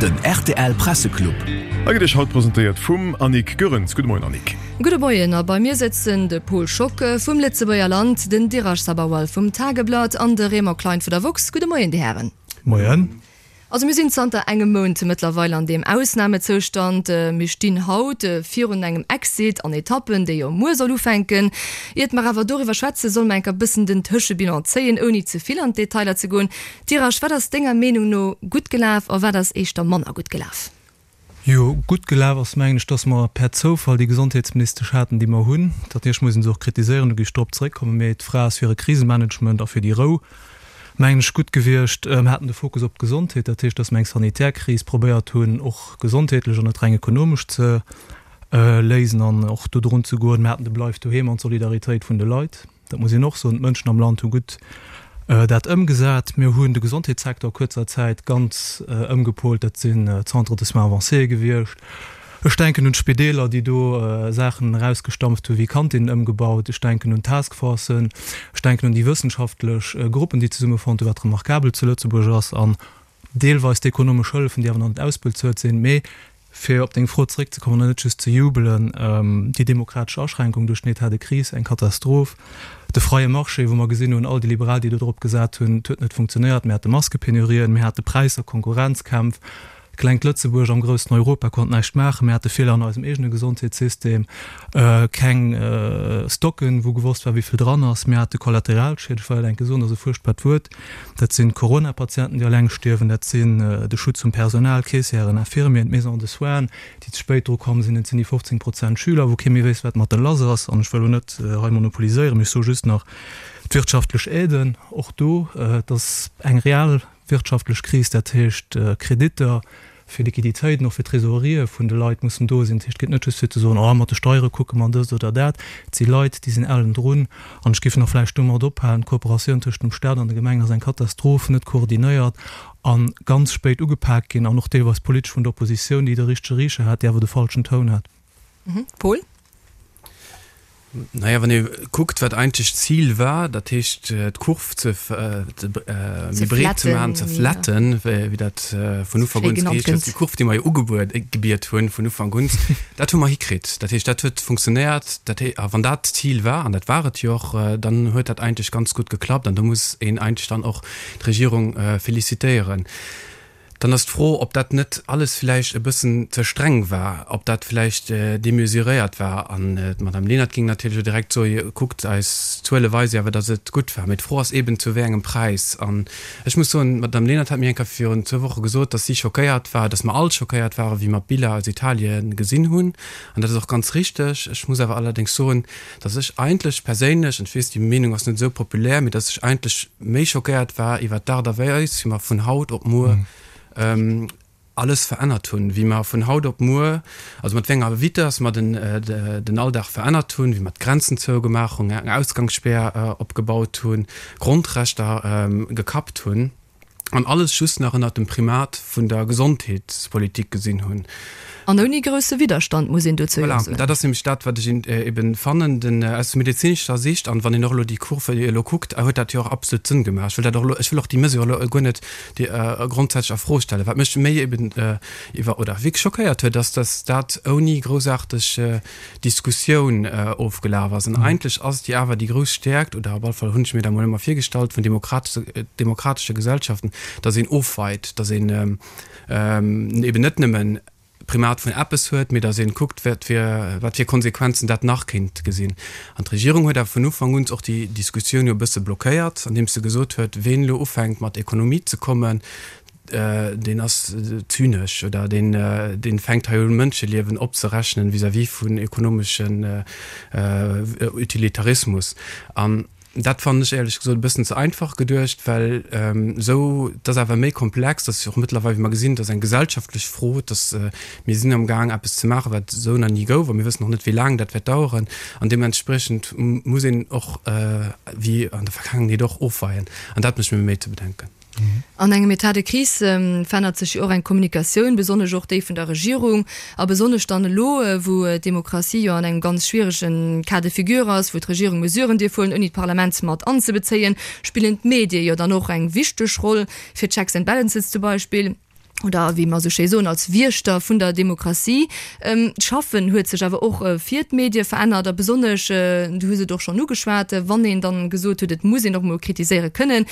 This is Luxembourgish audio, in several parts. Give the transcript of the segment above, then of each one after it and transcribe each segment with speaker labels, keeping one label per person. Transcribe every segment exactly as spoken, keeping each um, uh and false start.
Speaker 1: Den rtl Presseclub.
Speaker 2: A gëtt Iech haut presentéiert vum Annick Goerens. Gudde Moien Annick.
Speaker 3: Gudde Moien, a bei mir sëtzen de Pol Schocke vum Lëtzebuerger Land, den Dheeraj Sabharwal vum Tageblatt an de Raymond Klein vu der woxx. Gudde Moien, Dir Hären.
Speaker 4: Moien.
Speaker 3: Also mir sinn zanter engem Mount mëttlerweil an deem Ausnamezoustand. Mir stinn haut virun engem Exit an Etappen, dee jo muer soll ufänken. Iert mer awer doriwwer schwätzen, solle mer enker bëssen den Tëschebilan zéien, ouni ze vill an d'Detailer ze goen. Dheeraj, wat ass denger Meenung no gutt gelaf a wat ass éischter manner gutt gelaf?
Speaker 4: Jo, gutt gelaf ass, mengen ech, dass mer per Zoufall déi Gesondheetsministesch haten, déi mer hunn. Natierlech muss ee se och kritiséieren, do géif ech drop zeréckkommen, mee d'Fra ass fir e Krisemanagement a fir déi Rou, mengen ech, gutt gewiescht. Mer haten de Fokus op d'Gesondheet, dat heescht, dass mer eng sanitär Kris probéiert hunn, och gesondheetlech an net reng ekonomesch ze léisen an och do drun ze goen. Mer haten de Bleif doheem an d'Solidaritéit vun de Leit, dat muss een och soen. D'Mënschen am Land hu gutt dat ëmgesat. Mir hunn de Gesondheetssecteur a kuerzer Zäit ganz ëmgepolt. Dat sinn d'Centres de soins avancés gewiescht. Ech denken un d'Spideeler, déi do Saachen erausgestampft hu wéi Kantinnen ëmgebaut. Ech denken un d'Taskforcen. Ech denken un déi wëssenschaftlech Gruppen, déi zesummefonnt hunn, wat remarkabel zu Lëtzebuerg ass, an deelweis d'ekonomesch Hëllefen, déi awer nach net ausbezuelt sinn. Mee fir op deng Fro zeréckzekommen an net just ze jubelen, déi demokratesch Aschränkung duerch den État de crise, eng Katastroph. De freie Marché, wou mer gesinn hunn, all déi Liberal, déi do drop gesat hunn, et huet net funktionéiert. Mir hate Maskepenurien, mir hate Präisser, Konkurrenzkämpf. Klengt Lëtzebuerg am groussen Europa konnt näischt maachen. Mir hate Feeler an eisem eegene Gesondheetssystem, keng Stocken, wou gewosst war, wéi vill dran ass. Mir hate Kollateralschied, ech wëll dat enke soen, dat ass e fuerchtbart Wuert. Dat sinn d'Corona-Patienten, déi alleng stierwen, dat sinn de Schutz vum Personal, Caissièren, Infirmieren, d'Maisons de soins, déi ze spéit dru komm sinn, et sinn déi fofzéng Prozent Schüler, wou kee méi wéisst, wat mat de lass ass. An ech wëll elo net hei monopoliséieren, mee ech soe just nach, d'wirtschaftlech Aiden, och do, et ass eng real wirtschaftlech Kris, dat heescht Kreditter fir Liquiditéiten, och fir Trésorerië vun de Leit mussen do sinn. Dat heescht, et geet net just fir ze soen, oh mat de Steiere kucke mer dëst oder dat. Et si Leit, déi sinn ellen drun. An ech géif nach vläicht domat ophalen, D'Kooperatioun tëscht dem Stat an de Gemengen ass eng Katastroph, net koordinéiert a ganz spéit ugepak ginn an och deelweis politesch vun der Oppositioun, déi de richtege Richer hat, déi awer de falschen Toun hat.
Speaker 3: Paul?
Speaker 5: Naja, wann ee kuckt, wat eigentlech d'Zil war, dat heescht d'Kurv ze méi breet ze maachen, ze flatten, wéi dat vun Ufank un geheescht huet, déi Kurv, déi mer jo ugebiet hunn vun Ufank un, dat hu mer hikritt. Dat heescht, dat huet funktionéiert. Dat hee, a wann dat d'Zil war, an dat war et jo och, dann huet dat eigentlech ganz gutt geklappt an do muss een eigentlech dann och d'Regierung félicitéieren. Dann ass d'Fro, ob dat net alles vläicht e bëssen ze streng war, ob dat vläicht démesuréiert war. An d'Madame Lenert géing natierlech elo direkt soe, Kuckt, eis Zuele weise jo awer, datt et gutt war. Mee d'Fro ass eeben, zu wéi engem Präis. An ech muss soen, d'Madame Lenert hat mir eng Kéier virun zwou Woche gesot, datt si schockéiert war, datt mer all schockéiert waren, wéi mer d'Biller aus Italien gesinn hunn. An dat ass och ganz richteg. Ech muss awer allerdéngs soen, datt ech eigentlech perséinlech, an ech weess, déi Meenung ass net esou populär, mee datt ech eigentlech méi schockéiert war iwwert d'Aart a Weis, wéi mer vun haut op muer alles verännert hunn, wéi mer vun haut op muer, also mat wéi enger Vitess mer den, den Alldag verännert hunn, wéi mer d'Grenzen zougemaach hunn, eng Ausgangsspär opgebaut hunn, Grondrechter gekappt hunn an alles just nach ënnert dem Primat vun der Gesondheetspolitik gesinn hunn.
Speaker 3: An ouni grousse Widderstand, muss een dozou jo
Speaker 5: Voilà,
Speaker 3: soen.
Speaker 5: dat ass nämlech dat, wat ech eben fannen, den, aus medezinescher Sicht, an wann een och elo déi Kurve elo kuckt, huet dat jo och absolut Sënn gemaach. Ech wëll dat och elo, ech wëll och déi Mesure elo guer net déi grondsätzlech a Fro stellen. Wat mech méi eben iwwer, oder wierklech schockéiert huet, ass, dass dat ouni groussaarteg Diskussioun ofgelaf ass. An eigentlech ass et jo awer déi grouss Stäerkt, oder op alle Fall hunn ech mir dat emol ëmmer virgestallt, vun demokratesche, demokratesche Gesellschaften, dass een ofweit, dass een eben net nëmmen Primat vun eppes huet, mee datt een kuckt, wat fir, wat fir Konsequenzen dat nach kéint gesinn. An d'Regierung huet awer vun Ufank un och déi Diskussioun jo e bësse blockéiert, andeems se gesot huet, ween elo ufänkt mat Ekonomie ze kommen, deen ass zynesch oder deen, deen fänkt hei un Mënscheliewen opzerechnen vis-à-vis vun ekonomeschen Utilitarismus. An Dat fannen ech éierlech gesot e bëssen ze einfach geduecht, well esou, et ass awer méi komplex, dat ass jo och mëttlerweil, wéi mer gesinn, et ass eng gesellschaftlech Fro, et ass, mir sinn amgaang eppes ze maachen, wat esou nach ni gouf a mir wëssen och net, wéi laang dat wäert daueren an deementspriechend muss een och, wéi an der Vergaangenheet och, ofweien an dat mécht mir méi ze bedenken.
Speaker 3: An engem État de crise verännert sech jo och eng Kommunikatioun, besonnesch och déi vun der Regierung a besonnesch dann elo, wou d'Demokratie jo an engem ganz schwierege Cas de figure ass, wou d'Regierung Mesuren dierf huelen, ouni d'Parlament mat anzebezéien, spillen d'Medie jo dann och eng wichteg Roll, fir Checks and Balances zum Beispill. oder wéi mer esou schéi soen, als Wiechter vun der Demokratie. D'Schaffen huet sech awer och fir d'Medie verännert a besonnesch, du hues et och schonn ugeschwat, wann een dann gesot huet, et muss een och emol kritiséiere kënnen,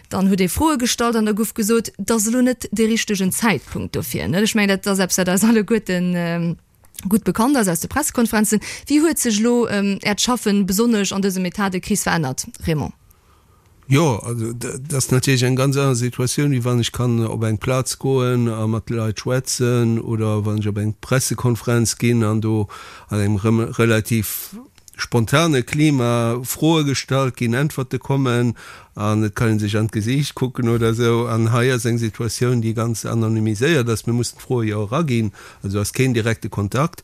Speaker 3: dann huet ee Froe gestallt an da gouf gesot, et ass elo net dee richtegen Zäitpunkt dofir. Ech mengen, dat ass eppes, wat eis alleguerten gutt bekannt ass aus de Pressekonferenzen. Wéi huet sech elo Äert Schaffen besonnesch an dësem État de crise verännert, Raymond?
Speaker 1: Jo, also dat ass natierlech eng ganz aner Situatioun, wéi wann ech kann op eng Plaz goen a mat de Leit schwätzen oder wann ech op eng Pressekonferenz ginn an do an engem relativ spontane Klima Froe gestallt ginn, Äntwerte kommen an et kann ee sech an d'Gesiicht kucken oder esou. An hei ass eng Situatioun, déi ganz anonymiséiert ass. Mir mussen d'Froe jo eraginn, also ass keen direkte Kontakt.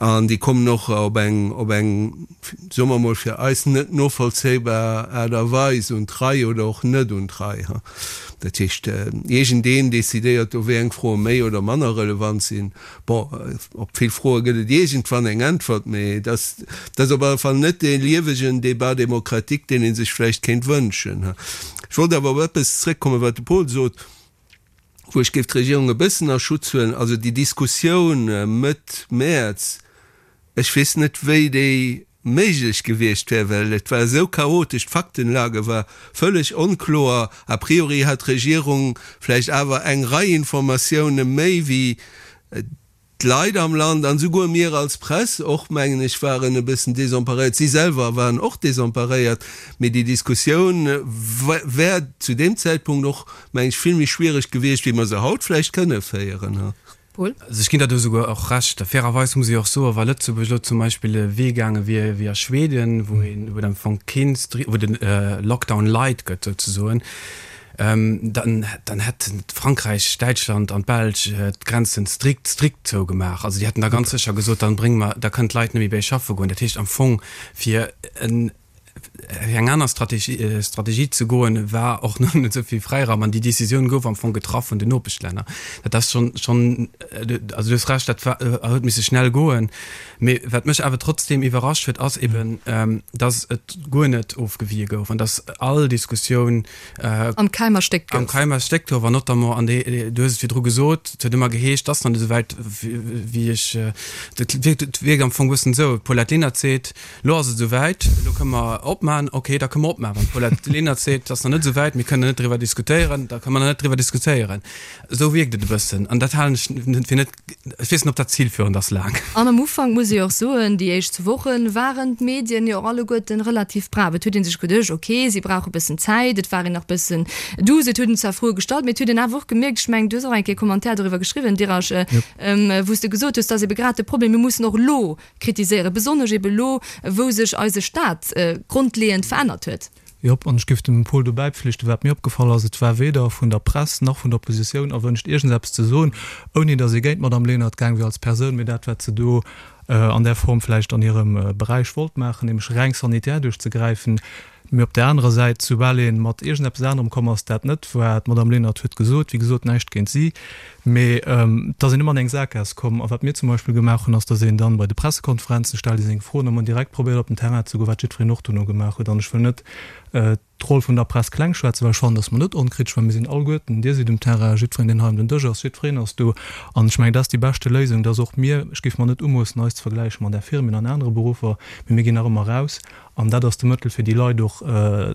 Speaker 1: An déi kommen och op eng, op eng, soe mer emol, fir eis net novollzéibar Aart a Weis un d'Rei oder och net un d'Rei. Dat heescht, iergendeen decidéiert do, wéi eng Froe méi oder manner relevant sinn. Bon, op vill Froe gëtt et iergendwann eng Äntwert, mee et ass, et ass op alle Fall net dee liewegen Débat démocratique, deen ee sech vläicht kéint wënschen. Ech wollt awer op eppes zréckkommen, wat de Paul sot. wou ech géif d'Regierung e bëssen a Schutz huelen, also déi Diskussioun Mëtt Mäerz, ech weess net, wéi déi méiglech gewiescht wär, well et war esou chaotesch, d'Faktenlage war vëlleg onkloer. A priori hat d'Regierung vläicht awer eng Rei Informatioune méi wéi D'Leit am Land an esouguer mir als Press och, mengen ech, waren e bëssen desemparéiert. Si selwer waren och desemparéiert. Mee déi Diskussioun wär zu deem Zäitpunkt och, mengen ech, vill méi schwiereg gewiescht, wéi mer se haut vläicht kënne féieren.
Speaker 3: Paul?
Speaker 5: Also ech ginn der do esouguer och Recht. Fairerweis muss ee och soen, wa Lëtzebuerg elo zum Beispill e Wee gaange wier wéi a Schweden, wou een, wou et am Fong keen, wou de Lockdown light gëtt souzesoen, Dann, dann hätten Frankräich, Däitschland an d'Belsch d'Grenzen strikt, strikt zougemaach. Also déi hätten da ganz sécher gesot, dann brénge mer, da kënnen d'Leit net méi bei eis schaffe goen. Dat heescht am Fong, fir en, fir eng aner Strategie, Strategie ze goen, war och nach net esou vill Fräiraum. An déi Décisioun gouf am Fong getraff vun den Nopeschlänner. Dat ass schonn, schonn, also du hues Recht, dat war, huet misse schnell goen. Mee wat mech awer trotzdeem iwwerrascht huet, ass eben, dass et guer net ofgewie gouf an dass all Diskussioun,
Speaker 3: Am Keim erstéckt
Speaker 5: gouf. Am Keim erstéckt gouf an notamment, an dee, du hues et virdru gesot, et huet ëmmer geheescht, et ass nach net esou wäit, wéi ech, et wierkt, et wierkt am Fong e bëssen esou, d'Paulette Lenert seet, elo ass et esou wäit, elo kënne mer opmachen, okay, da kënne mer opmachen. Wann d'Paulette Lenert seet, et ass nach net esou wäit, mir kënnen net driwwer diskutéieren, da kënne mer nach net driwwer diskutéieren. Esou wierkt et e bëssen an dat halen ech fir net, ech weess net, ob dat zilführend ass laang.
Speaker 3: An am Ufank muss ee jo och soen, déi éischt zwou Woche waren d'Medien jo och alleguerten relativ brav. Et huet ee sech geduecht, ok, si brauche e bëssen Zäit. Et war een nach bëssen douce, et huet een zwar Froe gestallt, mee et huet een awer och gemierkt, ech mengen, du hues och eng Kéier e Commentaire doriwwer geschriwwen, Dirasch, wou s de gesot hues, et ass ebe grad de Problem, mir mussen och elo kritiséieren, besonnesch ebe elo, wou sech eise Staat grondleeënd verännert huet.
Speaker 4: Jop, an ech géif dem Paul do bäipflichten, wat mir opgefall ass, et war weder vun der Press nach vun der Oppositioun erwënscht, iergendseppes ze soen, ouni datt ee géint d'Madame Lenert gaang wier als Persoun, mee dat, wat se do an där Form vläicht an hirem Beräich wollt maachen, nämlech reng sanitär duerchzegräifen. Mee op där anerer Säit, soubal ee mat iergendeppes anerem komm ass, dat net war, d'Madame Lenert huet gesot, wéi gesot, näischt géint si, mee et ass een ëmmer an eng Sakgaass komm. A wat mir zum Beispill gemaach hunn, ass, datt een dann bei de Pressekonferenzen, stellt ee seng Froen a man direkt probéiert op den Terrain ze goen, wat jiddwereen och dono gemaach huet. An ech wëll net d'Roll vun der Press kleng schwätzen, well ech fannen, datt mer net onkritesch waren. Mir sinn alleguerten, Dir sidd um Terrain, jiddwereen, deen hei ëm den Dësch ass, jiddwereen ass do. An ech mengen, dat ass déi beschte Léisung, datt och mir, ech géif mer net umoossen, eis ze vergläiche mat Infirmieren an anere Beruffer, mee mir ginn nach ëmmer eraus. An dat ass de Mëttel, fir déi Leit och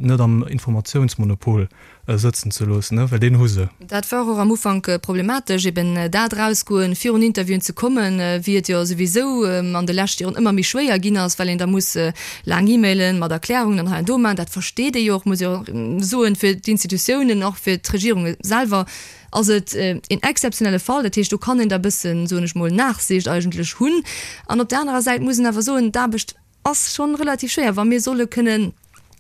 Speaker 4: net am Informatiounsmonopol sëtzen ze loossen, well deen hu se.
Speaker 3: Dat war och am Ufank problematesch, eben dat Erausgoen, virun Interviewen ze kommen, wéi et jo souwisou an de leschte Joren ëmmer méi schwéier ginn ass, well een da muss laang E-Mailen mat Erklärungen an hei an do maachen. Dat versteet ee jo och, muss ee och soen, fir d'Institutiounen, och fir d'Regierunge selwer ass et een exzeptionelle Fall. Dat heescht, do kann een da e bëssen, soen ech mol, Nachsicht eigentlech hunn. An op där anerer Säit muss een awer soen, d'Aarbecht ass schonn relativ schwéier. Wa mir solle kënnen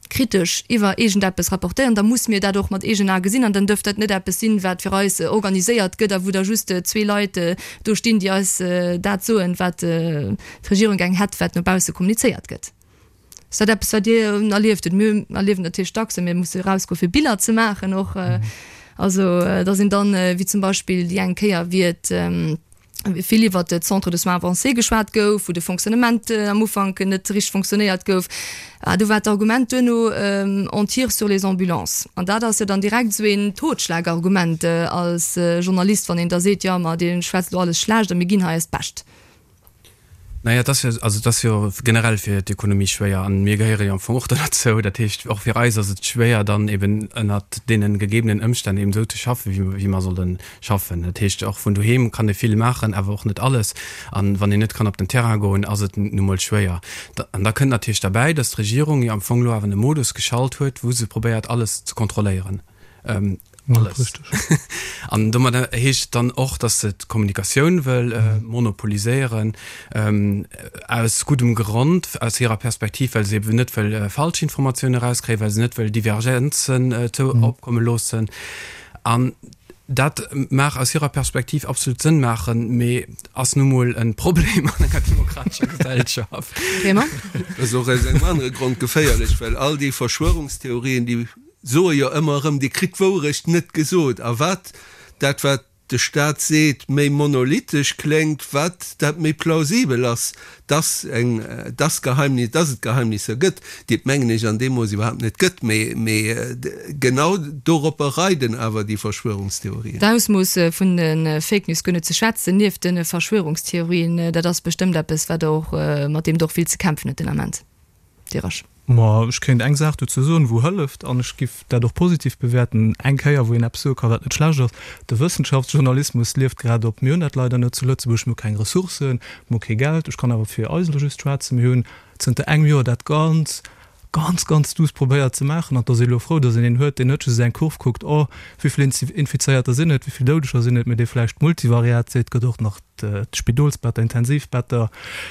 Speaker 3: kritesch iwwer iergendeppes rapportéieren, da muss mir dat och mat eegenen Ae gesinn an dann dërft dat net eppes sinn, wat fir eis organiséiert gëtt a wou da just zwee Leit do stinn, déi eis dat soen, wat d'Regierung geng hätt, wat no bausse kommunizéiert gëtt. Ass dat eppes, wat Dir erlieft hutt? Mir erliewen natierlech dacks, mir musse erausgoe fir Biller ze maachen och. Also, dass een dann, wéi zum Beispill déi eng Kéier, wéi et, vill iwwert de Centre de soins avancés geschwat gouf, wou de Fonctionnement am Ufank net richteg fonctionnéiert gouf. Do war d'Argument duerno, on tire sur les ambulances. An dat ass jo dann direkt esou een Totschlagargument als Journalist, wann een da seet, jo ma dir schwätzt elo alles schlecht a mir ginn hei eist Bescht.
Speaker 5: Naja, et ass jo, also et ass jo generell fir d'Ekonomie schwéier an mir gehéiere jo am Fong och do derzou. Dat heescht, och fir eis ass et schwéier, dann eben ënnert deene gegebenen Ëmstänn eben esou ze schaffen, wéi wéi mer solle schaffen. Dat heescht, och vun doheem kann ee vill maachen, awer och net alles. An wann een net kann op den Terrain goen, ass et nu mol schwéier. An da kënnt natierlech derbäi, datt d'Regierung jo am Fong elo awer e Modus geschalt huet, wou se probéiert, alles ze kontrolléieren. Alles. An domadder heescht et dann och, datt se d'Kommunikatioun wëll monopoliséieren, aus guddem Grond, aus hirer Perspektiv, well se eben net wëll falsch Informatioune erauskréien, well se net wëll Divergenzen opkomme loossen. An dat mag aus hirer Perspektiv absolut Sënn maachen, mee ass nu mol e Problem an enger demokratescher Gesellschaft.
Speaker 3: Raymond?
Speaker 1: Ass och aus engem anere Grond geféierlech, well all déi Verschwörungstheorien, déi soe jo ëmmer erëm, Dir kritt d'Wourecht net gesot. A wat dat, wat de Staat seet, méi monolithisch kléngt, wat dat méi plausibel ass, dass eng, dass Geheimnis, dass et Geheimnisser gëtt, déi et, mengen ech, an deem Mooss iwwerhaapt net gëtt. Mee, mee genau doropper reiden awer déi Verschwörungstheorien.
Speaker 3: D'Ausmooss vun de Fake News guer net ze schwätzen, nieft de Verschwörungstheorien, dat ass bestëmmt eppes, wat och, mat deem Der och vill ze kämpfen hutt den Ament. Dirasch.
Speaker 4: Ma ech kéint eng Saach dozou soen, wou hëlleft, an ech giff dat och positiv bewäerten, eng Kéier, wou een eppes soe ka wat net schlecht ass, De Wëssenschaftsjournalismus lieft grad op. Mir hunn dat leider net zu Lëtzebuerg. Mir hu keng Ressourcen, mir hu kee Geld. Ech kann awer fir eis elo just schwätzen. Mir hunn zënter engem Joer dat ganz, ganz, ganz duuss probéiert ze maachen. An et ass ee elo frou, datt een een huet, deen net just eng Kurv kuckt, oh, wéi vill Infizéierter sinn et, wéi vill Doudeger sinn et, mee dee vläicht multivariat seet, gëtt och nach D'Spidolsbetter, Intensivbetter,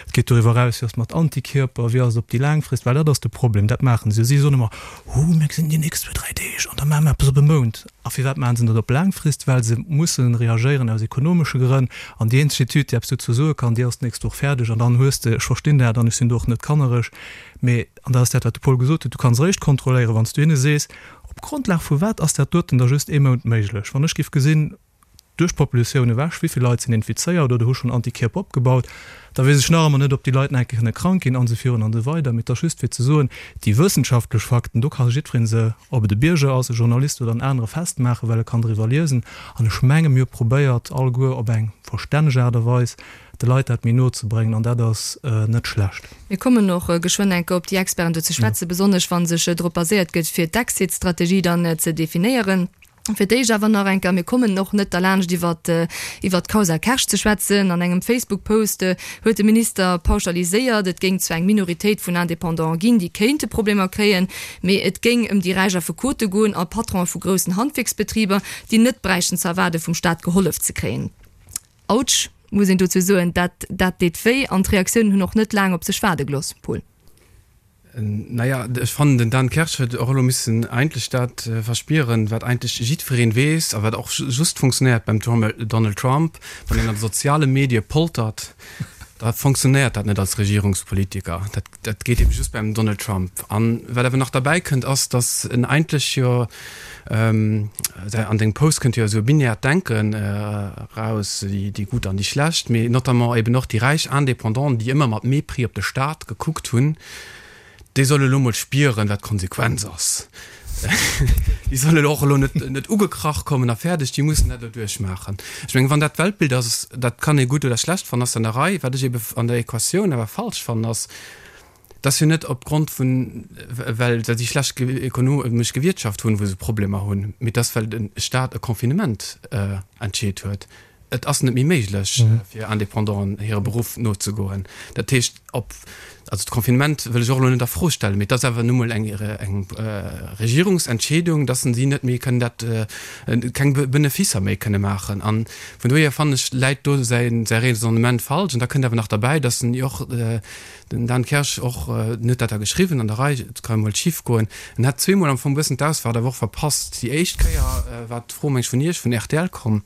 Speaker 4: et geet doriwwer eraus, wéi ass et mat Antikierper, wéi ass et op déi laang Frist, well dat ass de Problem, dat maachen se jo. Si soen ëmmer, Hu mir gesinn déi nächst zwee, dräi Deeg an da maache mer eppes op e Mount. A firwat maachen se dat op laang Frist? Well se mussen reagéieren aus ekonomesche Grënn. An déi eenzeg Etüd, déi eppes dozou soe kann, déi ass d'nächst Woch fäerdeg an dann hues de, ech verstinn dat an ech sinn do och net kannereg, mee, an dat ass dat, wat de Paul gesot huet, du kanns eréischt kontrolléieren, wann s du hinne sees, op Grondlag vu wat ass dat doten da just ee Mount méiglech. Wann ech géif gesinn, duerch d'Populatioun ewech, wéi vill Leit sinn infizéiert oder hu schonn Antikierper opgebaut, da weess ech nach ëmmer net, ob déi Leit nach eng Kéier kënne krank ginn an esou virun an esou weider. Mee et ass just fir ze soen, déi wëssenschaftlech Fakten, do ka jiddweree se, ob et e Bierger ass, e Journalist oder en anere, festmaachen, well e kann driwwer liesen. An ech menge mir hu probéiert, alleguer op eng verstänneg Aart a Weis, de Leit dat méi no ze bréngen an dat ass net schlecht.
Speaker 3: Mir kommen och geschwënn eng Kéier op déi Experten do ze schwätzen, besonnesch wa sech drop baséiert gëtt, fir d'Exit-Strategie dann ze definéieren. Fir d'éischt awer nach eng Kéier, mir kommen och net derlaanscht iwwert iwwert d'Causa Kersch ze schwätzen. An engem Facebook-Post huet de Minister pauschaliséiert, et géing zwar eng Minoritéit vun Indépendanten ginn, déi kéinte Problemer kréien, mee et géing ëm déi räich Affekote goen a Patronen vu groussen Handwierksbetriber, déi net bräichten ze erwaarde vum Staat gehollef ze kréien. Autsch, muss een dozou soen, dat dat deet wéi an d'Reaktiounen hunn och net laang op sech waarde gelooss, Paul.
Speaker 5: Naja, ech fannen, den Dan Kersch huet och elo missen eigentlech dat verspieren, wat eigentlech jiddwereen weess a wat och just funktionéiert beim Donald Trump, Wann een an de soziale Medie poltert, da funktionéiert dat net als Regierungspolitiker. Dat, dat geet ebe just beim Donald Trump. An wat awer nach derbäi kënnt, ass, datt en eigentlech jo, an dengem Post kënnt jo esou e binärt Denken eraus, déi Gutt an déi Schlecht, mee notamment eben och déi räich Indépendanten, déi ëmmer mat Mépris op de Staat gekuckt hunn, Déi solle elo mol spieren, wat d'Konsequenz ass. Déi solle och elo net, net ugekrach kommen a fäerdeg, déi mussen dat elo duerchmaachen. Ech mengen, wann dat d'Weltbild ass, dat kann ee gutt oder schlecht fannen, ass an der Rei. Wat ech ebe an der Equatioun awer falsch fannen, ass, dass jo net opgrond vun, well si schlecht ekonomesch gewirtschaft hunn, wou se Problemer hunn, mee dass well de Staat e Confinement entscheet huet. Et ass net méi méiglech fir Indépendanten hire Beruff nozegoen. Dat heescht, ob, also d'Confinement wëll ech och elo net a Fro stellen, mee et ass awer nu mol eng eng Regierungsentscheedung, dass si net méi kënnen dat, keng Beneficer méi kënne maachen. A vun dohier fannen ech, läit do säi säi Raisonnement falsch. An da kënnt awer nach derbäi, dass en jo och, den Dan Kersch och, en huet dat da geschriwwen an der Rei, et ka emol schif goen, en hat zweemol am Fong e bëssen d'Ausfahrt awer och verpasst. Déi éischt Kéier war d'Fro, meng ech, vun Iech, vun rtl komm.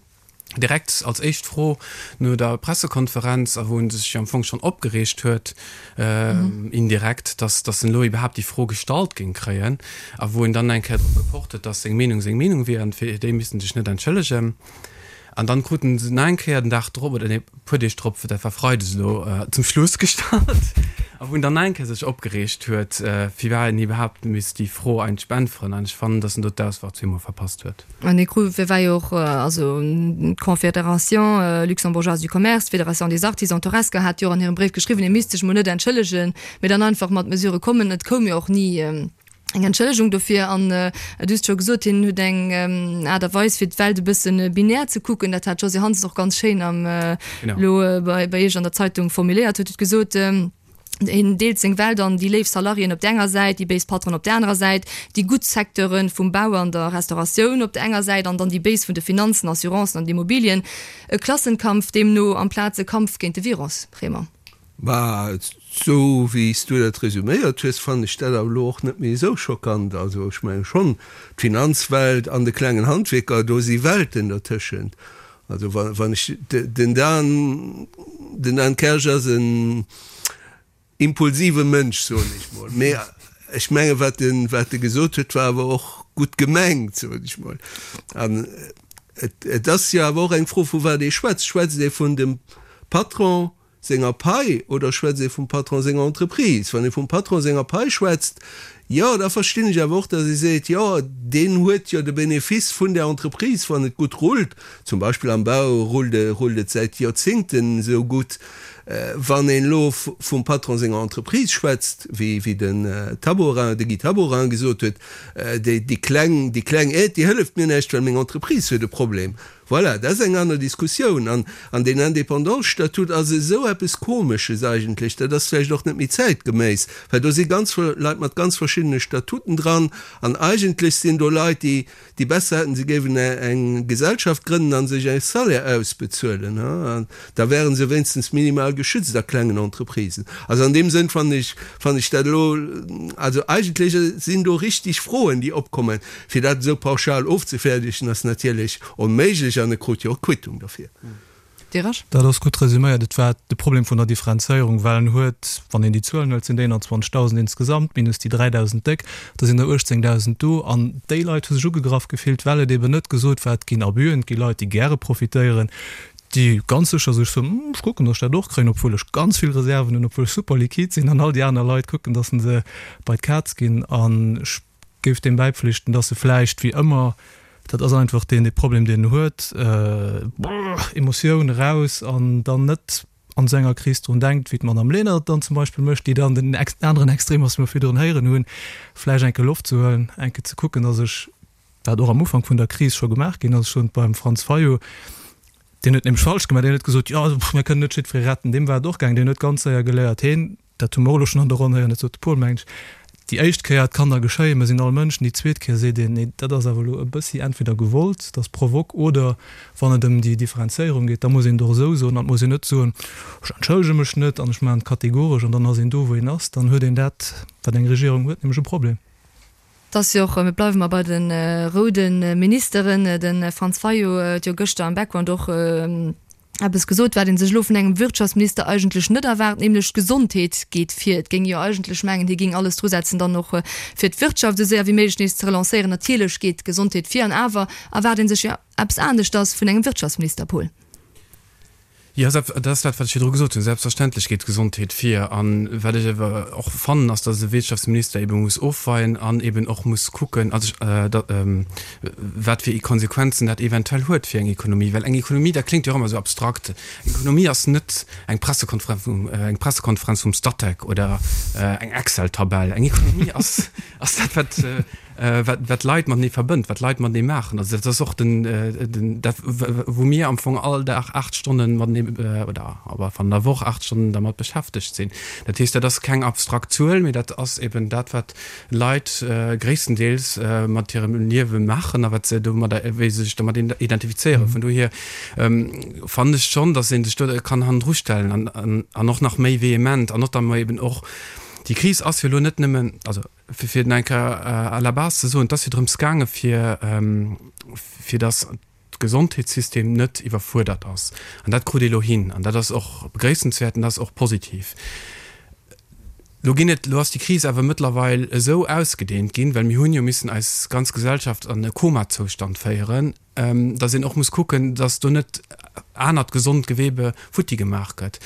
Speaker 5: Direkt als éischt Fro no der Pressekonferenz, a wou en sech jo am Fong schonn opgereegt huet, indirekt, dass dass en elo iwwerhaapt déi Fro gestallt géing kréien, a wou en dann eng Kéier drop gepocht huet, dass seng Meenung seng Meenung wier an fir déi misst en sech net entschëllegen. An dann kruten se nach eng Kéier den Dag drop, oder nee, puer Deeg drop, dat war freides elo, zum Schluss gestallt. A wou en dann nach eng Kéier sech opgereegt huet, firwat en iwwerhaapt misst déi Fro eigentlech beäntweren. An ech fannen, datt en do d'Auswahl zweemol verpasst huet.
Speaker 3: An dee Krut war jo och, also d'Confédération luxembourgeoise du commerce, d'Fédération des artisans, d'Horesca hat jo och an hirem Bréif geschriwwen, e misst sech mol net entschëllegen, mee dann einfach mat Mesurë kommen. Et koum jo och ni eng Entschëllegung dofir. An du hues et scho gesot, hien huet eng Aart a Weis, fir d'Welt e bësse binär ze kucken. Dat hat d'Josée Hansen och ganz schéin am elo bei Iech an der Zeitung formuléiert, huet huet gesot, Hien deelt seng Welt an déi léif Salariéen op der enger Säit, déi béis Patronen op der anerer Säit, déi gutt Secteure vum Bau an der Restauratioun op der enger Säit an dann déi béis vun de Finanzen, Assurancen an Immobilien. E Klassenkampf deemno amplaz e Kampf géint de Virus, Raymond.
Speaker 1: Bah, esou wéi s du dat resuméiert hues, fannen ech dat awer elo och net méi esou schockant. Also ech menge schonn, d'Finanzwelt an de klengen Handwierker, do si Welten dertëschent. Also wann ech den Dan, den Dan Kersch ass en impulsive Mënsch, soen ech mol, mee ech menge wat en, wat e gesot huet, war awer och gutt gemengt, soen ech mol. An et, et ass jo awer och eng Fro vu wat ee schwätzt. Schwätzt ee vun dem Patron senger Pai oder schwätzt ee vum Patron senger Entreprise? Wann ee vum Patron senger Pai schwätzt, jo, da verstinn ech awer och, datt ee seet, jo, deen huet jo de Benefice vun där Entreprise, wann et gutt rullt. Zum Beispill am Bau rullt rullt et säit Joerzéngten esou gutt. Wann een elo vum Patron senger Entreprise schwätzt, wéi wéi den Taborin, de Guy Taborin gesot huet, déi déi kleng déi kleng Aide, déi hëlleft mir näischt, well meng Entreprise huet e Problem. Voilà, dat ass eng aner Diskussioun. An an deen Indépendants-Statut ass esou eppes Komesches eigentlech, dat ass vläicht och net méi zäitgeméiss, well do si ganz Leit mat ganz verschiddene Statuten dran an eigentlech sinn do Leit, déi déi besser hätten, se géiwen eng Gesellschaft grënnen a sech e Salaire ausbezuelen, an da wäre se wéinstens minimal geschützt a klengen Entreprisen. Also an deem Sënn fannen ech, fannen ech dat elo, also eigentlech sinn do richtig Froen, déi opkommen. Fir dat esou pauschal ofzefäerdegen, ass natierlech onméiglech an e krut jo och Quittung derfir.
Speaker 3: Derasch.
Speaker 4: Dat ass gutt resüméiert. Et war de Problem vun der Differenzéierung, well en huet, wann een déi Zuelen huelt, sinn déi éinanzwanzegdausend insgesamt, minus déi dräidausend déck, da sinn der uechtzéngdausend do. An déi Leit hu sech ugegraff gefillt, well et eben net gesot war, et ginn Abüen, et gi Leit, déi gäre profitéieren, déi ganz sécher sech soen, Hm, ech kucken, datt ech dat och kréien, obwuel ech ganz vill Reserven hunn, obwuel ech super liquid sinn. An all déi aner Leit kucken, datt se bei d'Kaz ginn. An ech géif deem bäipflichten, datt se vläicht, wéi ëmmer, Dat ass einfach deen dee Problem, deen en huet, Emotioun eraus an dann net an esou enger Kris drun denkt, wéi d'Madame Lenert dann zum Beispill mécht, déi dann den aneren Extrem ass, wéi mer virdrun héieren hunn, vläicht eng Kéier Loft ze huelen, eng Kéier ze kucken, datt ech, wat och am Ufank vun der Kris scho gemaach ginn ass, schonn beim Franz Fayot, deen huet nämlech falsch gemaach, deen huet gesot, jo, mir kënnen net jiddweree retten, deem war et och gaangen, deen huet ganz séier geléiert, heen, dat hu mer och elo schonn an der Ronn héieren, dat sot de Paul, mengen ech, Déi éischt Kéier, et kann da geschéien, mer sinn all Mënschen, déi zweet Kéier seet een, nee, dat ass awer elo e bëssi entweder gewollt, dat ass provoque, oder wann et ëm déi Differenzéierung geet, da muss een et och esou soen an et muss een net soen, ech entschëllege mech net an ech maachen et kategoresch an dann ass een do, wou een ass. Dann huet een dat, wat eng Regierung huet, nämlech e Problem.
Speaker 3: Et ass jo och, mir bleiwe mar bei de roude Ministeren, de Franz Fayot huet jo gëschter am Background och eppes gesot, wat ee sech elo vun engem Wirtschaftsminister eigentlech net erwaart, nämlech d'Gesondheet geet vir. Et géing jo eigentlech mengen, hie géing alles drusetzen, dann och fir d'Wirtschaft esou séier wéi méiglech nees ze relancéieren. Natierlech geet d'Gesondheet vir, an awer erwaart ee sech jo eppes aneschters vun engem Wirtschaftsminister, Paul.
Speaker 5: Jo, dat ass dat, wat ech virdru gesot hunn. Selbstverständlech geet d'Gesondheet vir. A wat ech awer och fannen, ass, datt e Wirtschaftsminister ebe muss ofweien an eben och muss kucken, also wat fir Konsequenzen dat eventuell huet fir eng Ekonomie. Well eng Ekonomie, dat kléngt jo och ëmmer esou abstrakt, eng Ekonomie ass net eng Pressekonferenz vum, eng Pressekonferenz vum Statec oder eng Excel-Tabell. Eng Ekonomie ass, ass dat, wat, wat, wat d'Leit matenee verbënnt, wat d'Leit matenee maachen. Also dat ass och den, den, dat wou mir am Fong all Dag aacht Stonnen matenee, oder awer an der Woch aacht Stonnen dermat beschäftegt sinn. Dat heescht, dat ass keng abstrakt Zuel, mee dat ass eben dat, wat Leit gréisstendeels mat hirem Liewe maachen a wat se domadder, wéi se sech domat identifizéieren. Vun dohier fannen ech schonn, datt ee sech do kann hannendru stellen an, an och nach méi vehement an notamment eben och, déi Kris ass jo elo net nëmmen, also fir et nach eng Kéier à la base ze soen, et ass jo drëms gaange fir, fir datt d'Gesondheetssystem net iwwerfuerdert ass. An dat krut ee elo hin an dat ass och begréissenswäert an dat ass och positiv. Elo ginn et, elo ass déi Kris awer mëttlerweil esou ausgedehnt ginn, well mir hunn jo missen eis ganz Gesellschaft an e Komazoustand féieren, dass een och muss kucken, dass do net anert gesond Gewebe futti gemaach gëtt.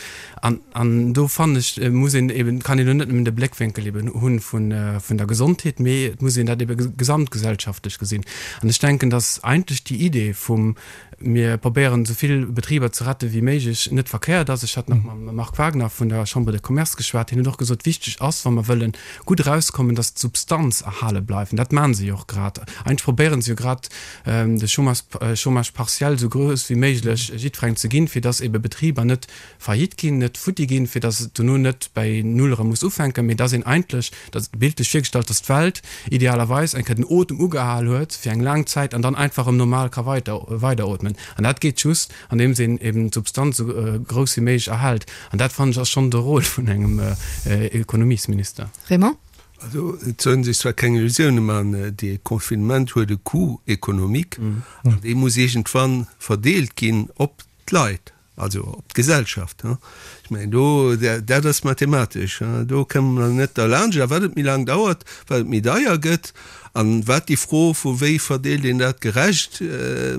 Speaker 5: An, an do fannen ech, muss een eben, kann een elo net nëmmen de Bléckwénkel eben hunn vun, vun der Gesondheet, mee et muss een dat ebe gesamtgesellschaftlech gesinn. An ech denken, dass eigentlech déi Idee vum mir probéieren esou vill Betriber ze rette wéi méiglech net verkéiert ass. Ech hat nach mam Marc Wagner vun der Chambre de Commerce geschwat, hien huet och gesot, wichteg ass, wa mer wëlle gutt erauskommen, dass d'Substanz erhale bleift. An dat maache se jo och grad. Eigentlech probéiere se jo grad, de Chômage, Chômage partiel esou grouss wéi méiglech jiddwerengem ze ginn, fir dass ebe Betriber net faillite ginn, net futti ginn, fir dass et dono net bäi Null erëm muss ufänken, mee dass een eigentlech, dat bildlech virgestallt, dass d'Welt idealerweis eng Kéier den Otem ugehal huet fir eng laang Zäit an dann einfach erëm normal ka weiter, weiderootmen. An dat geet just, andeems een eben d'Substanz esou grouss wéi méiglech erhält. An dat, fannen ech, ass schonn de Rôle vun engem Ekonomiesminister.
Speaker 3: Raymond?
Speaker 1: Also, et soll ee sech zwar keng Illusioune maachen, dee Confinement huet e Coût économique an dee muss iergendwann verdeelt ginn op d'Leit, also op d'Gesellschaft. Ech mengen, do, dat ass mathematesch, do kënne mer net derlaanscht. A wat et méi laang dauert, wat et méi deier gëtt an wat déi Fro vu wéi verdeelt een dat gerecht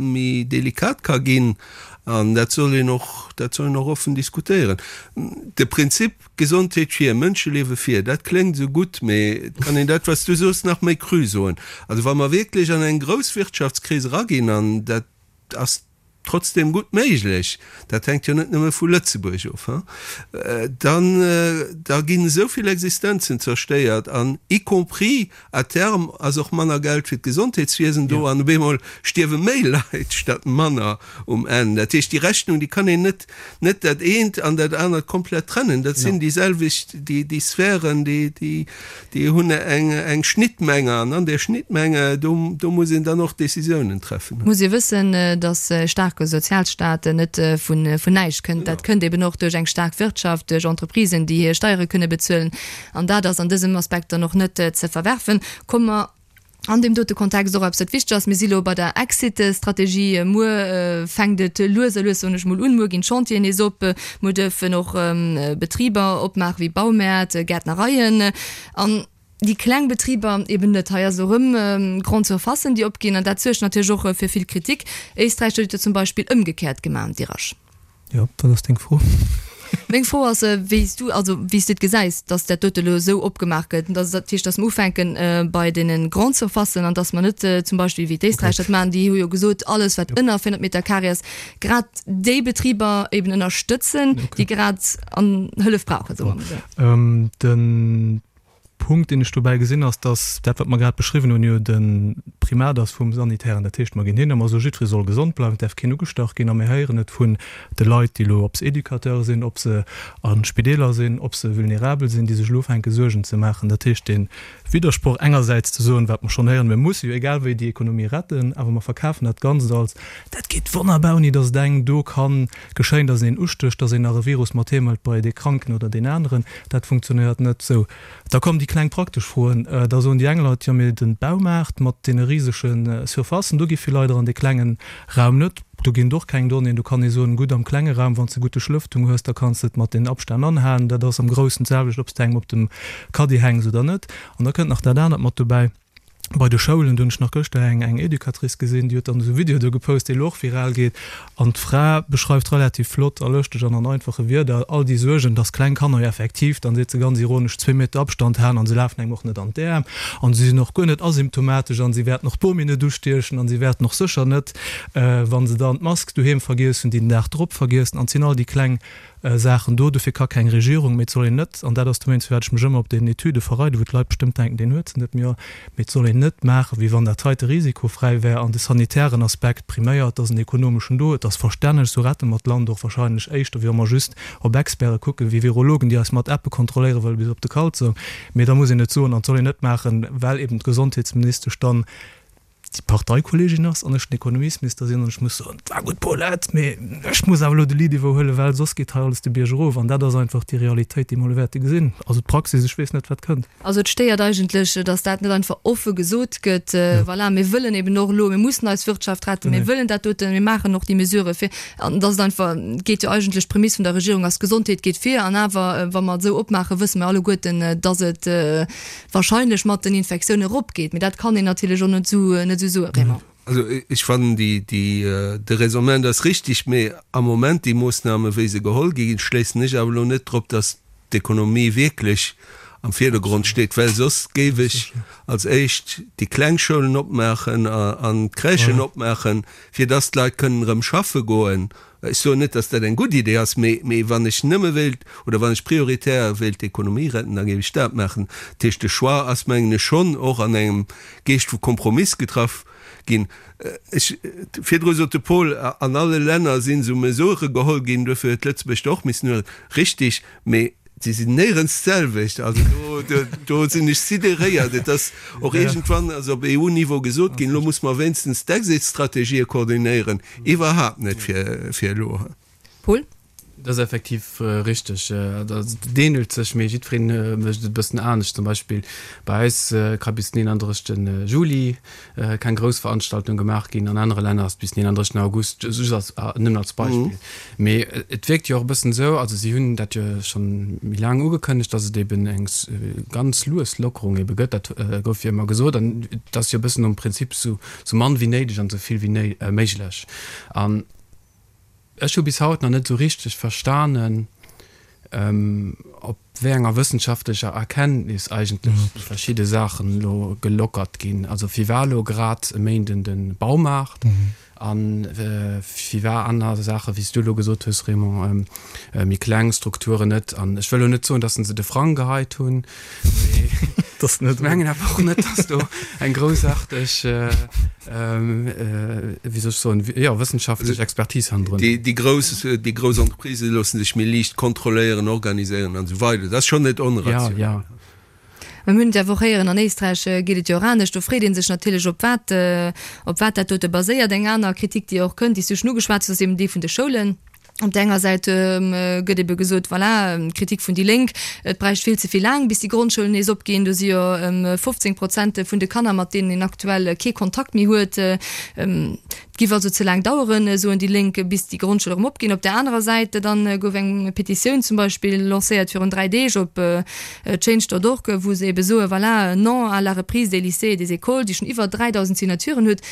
Speaker 1: méi delikat ka ginn. An dat soll een och, dat soll een och offen diskutéieren. De Prinzip Gesondheet vir, Mënscheliewe vir, dat kléngt esou gutt, mee et kann een dat, wat s du soos, nach méi cru soen. Also wa mer wierklech an eng grouss Wirtschaftskris eraginn, an dat ass trotzdem gutt méiglech, dat hänkt jo net nëmme vu Lëtzebuerg of, dann da ginn esou vill Existenzen zerstéiert an y compris à terme ass och manner Geld fir d'Gesondheetswiesen do an op eemol stierwe méi Leit statt manner um Enn. Dat heescht, déi Rechnung, déi kann een net net dat eent an dat anert komplett trennen. Dat sinn déi selwecht, déi déi Sphären, déi déi déi hunn eng eng Schnittmenge an an där Schnittmenge do do muss een dann och Décisiounen treffen.
Speaker 3: Muss ee wëssen, datt e staarke Sozialstaat net vun vun näischt kënnt. Dat kënnt eben och duerch eng staark Wirtschaft, duerch Entreprisen, déi hir Steiere kënne bezuelen. An dat ass an dësem Aspekt dann och net ze verwerfen. Komme mer an deem dote Kontext och eppes, wat wichteg ass, Mir si lo bei der Exit-Strategie. Muer fänkt et lues a lues, soen ech mol, un. Muer ginn d'Chantieren nees op. Muer duerfen och Betriber opmaachen, wéi Baumäert, Gäertnereien. An déi kleng Betriber eben net. Hei ass elo erëm Grande Surfacen, déi opginn. An dat suergt natierlech och fir vill Kritik. Éisträich huet et jo zum Beispill ëmgekéiert gemaach, Dirasch.
Speaker 4: Jo, wat ass deng Fro?
Speaker 3: Meng Fro ass, wéi s du, also wéi s de et gesäis, datt dat dote elo esou opgemaach gëtt, dass dat heescht, datt mer ufänke bei deene Grande-surfacen an datt mer net zum Beispill wéi d'Éisträicher dat maachen, déi hu jo gesot, alles wat ënner véierhonnert Meter carré ass, grad déi Betriber eben ënnerstëtzen, déi grad an Hëllef brauchen, soe mer emol
Speaker 4: esou. Den Punkt, deen ech dobäi gesinn, ass, dass dat, wat mer grad beschriwwen hunn, jo de Primat ass vum Sanitären. Dat heescht, mer ginn hin a mer soe jiddweree soll gesond bleiwen, et däerf keen ugestach ginn. A mir héieren et vun de Leit, déi elo, ob se Educateure sinn, ob se a Spideeler sinn, ob se vulnerabel sinn, déi sech elo ufänke Suergen ze maachen. Dat heescht, dee Widdersproch engersäits ze soen, wat mer schonn héieren, mir musse jo egal wéi déi Ekonomie retten, awer mer verkafen dat Ganzt als, dat geet wonnerbar, ouni dass et engem do ka geschéien, dass een een ustécht, dass een nach e Virus mat heem hëlt bei dee Kranken oder deen aneren. Dat funktionéiert net esou. Da kommen déi kleng praktesch Froen. Da soen déi eng Leit, jo mee de Baumaart mat deene risege Surfacen, do gi vill Leit eran, dee klengen Raum net. Do ginn et och keng Donnéeën. Do kann ee soen, gutt am klenge Raum, wann s de gutt Duerchlëftung hues, da kanns de et mat den Abstänn anhalen. Dat ass am Groussen d'selwecht, ob s de engem op dem Caddie hänks oder net. An da kënnt nach dat anert mat dobäi. Bei de Schoulen, do hunn ech nach gëschter eng eng Educatrice gesinn, déi huet dann esou e Video do gepost, dee elo och viral geet. An d'Fra beschreift relativ flott a lëschteg an an einfache Wierder all déi Suergen, dass kleng Kanner jo effektiv, dann seet se ganz ironesch, zwee Meter Abstand halen an se lafen engem och net an d'Äerm an se sinn och guer net asymptomatesch an se wäerten och d'Bomi net ustiechen an se wäerten och sécher net, wa se dann d'Mask doheem vergiess hunn, déi den Dag drop vergiessen. An et sinn all déi kleng Saachen do. Dofir ka keng Regierung, mee et soll een net, an dat ass dowéinst, firwat ech mech ëmmer op deenen Etüde verreiden, wou d'Leit bestëmmt denken, deen huet se net, mee jo, mee et soll een net maachen, wéi wann dat heite risikofräi wär an de sanitären Aspekt priméiert, dass en ekonomeschen do. Et ass verstänneg, esou rette mer d'Land och wahrscheinlech éischter, wéi wa mer just op Experte kucken, wéi Virologen, déi eis mat Appe kontrolléiere wëlle bis op de Kalzong. Mee da muss een et soen an et soll een net maachen, well eben d'Gesondheetsministesch dann déi Parteikolleegin ass an ech den Ekonomiesminister sinn an ech muss soen, et war gutt Paulette, mee ech muss awer elo de Lead iwwerhuelen, well soss geet hei alles de Bierg erof. An dat ass einfach déi Realitéit, déi mer elo wäerte gesinn. Also d'Praxis, ech weess net, wat kënnt.
Speaker 3: Also et stéiert eigentlech, datt dat net einfach offe gesot gëtt, voilà, mir wëllen eben och elo, mir mussen eis Wirtschaft retten, mir wëllen dat doten, mir maachen och déi Mesurë fir, an datt et einfach, et geet jo eigentlech, d'Prämiss vun der Regierung ass, d'Gesondheet geet vir, an awer, wa mer et esou opmaachen, wësse mer alleguerten, datt et wahrscheinlech mat den Infektiounen eropgeet. Mee dat kann een natierlech och net esou, net esou soen, Raymond.
Speaker 1: Also ech fannen déi, déi, de Raisonnement ass richtig, mee am Moment déi Moossname wéi se geholl gi ginn, schléissen ech awer elo net drop, datt d'Ekonomie wierklech am Virdergrond steet, well soss géif ech als éischt déi kleng Schoulen opmaachen an d'Crèchen opmaachen, fir datt d'Leit kënnen erëm schaffe goen. Ech soen net, datt dat eng gutt Idee ass, mee, mee wann ech nëmme wéilt oder wann ech prioritär wéilt d'Ekonomie retten, da géif ech dat maachen. Dat heescht, de Choix ass, mengen ech, schonn och an engem Geescht vu Kompromiss getraff ginn. Ech, virdru sot de Paul, an alle Länner sinn esou Mesurë geholl ginn, duerfir huet Lëtzebuerg der och missen huelen. Richtig, mee se sinn néierens d'selwecht. Also do, do, do sinn ech sidéréiert. Et ass och iergendwann ass op EU-Niveau gesot ginn, elo muss mer wéinstens d'Exit-Strategië koordinéieren. Iwwerhaapt net fir, fir elo.
Speaker 3: Paul?
Speaker 5: Dat ass effektiv richteg. Dat ähnelt sech, mee jiddweree mécht et e bëssen anescht. Zum Beispill bei eis ka bis den eenanddrëssegste Juli keng grouss Veranstaltung gemaach ginn, an anere Länner ass et bis den eenanddrëssegsten August, just als, nëmmen als Beispill. Mee et wierkt jo och e bëssen esou, also si hunn dat jo schonn méi laang ugekënnegt, datt et eben eng ganz lues Lockerung ebe gëtt. Dat gouf jo ëmmer gesot an et ass jo e bëssen nom Prinzip sou mann wéi néideg an sou vill wéi méiglech. An Ech hu bis haut nach net esou richteg verstanen, op wéi enger wëssenschaftlecher Erkenntnis eigentlech déi verschidde Saachen elo gelockert ginn. Also firwat elo grad e Méinden de Baumaart a firwat aner Saachen, wéi s du elo gesot hues, Raymond, méi kleng Strukturen net. An ech wëll elo net soen, datt se de Frang geheit hunn, mee ech mengen awer och net, datt do eng groussaarteg wéi soll ech soen, jo, wëssenschaftlech Expertise hannendrun.
Speaker 1: Déi grouss, déi grouss Entreprisë loosse sech méi liicht kontrolléieren, organiséieren an esou weider. Dat ass schonn net onrationell.
Speaker 5: Jo, jo.
Speaker 3: Mä mir hunn et jo awer och héieren, an Éisträich geet et jo och anescht. Do freet ee sech natierlech, op wat, op wat dat dote baséiert. Eng aner Kritik, déi och kënnt, déi s du schonn ugeschwat hues, ass eben déi vun de Schoulen. Op där enger Säit gëtt ebe gesot, voilà, Kritik vun déi Lénk, et bräicht vill ze vill laang, bis déi Grondschoulen nees opginn. Do si jo fofzéng Prozent vun de Kanner, mat deenen een aktuell kee Kontakt méi huet. Et giff also ze laang daueren, soen déi Lénk, bis déi Grondschoule erëm opginn. Op där anerer Säit dann gouf eng Petitioun zum Beispill lancéiert virun dräi Deeg op change dot org, wou se ebe soen, voilà, non à la reprise des lycées et des écoles, déi schonn iwwer dräidausend Signaturen huet.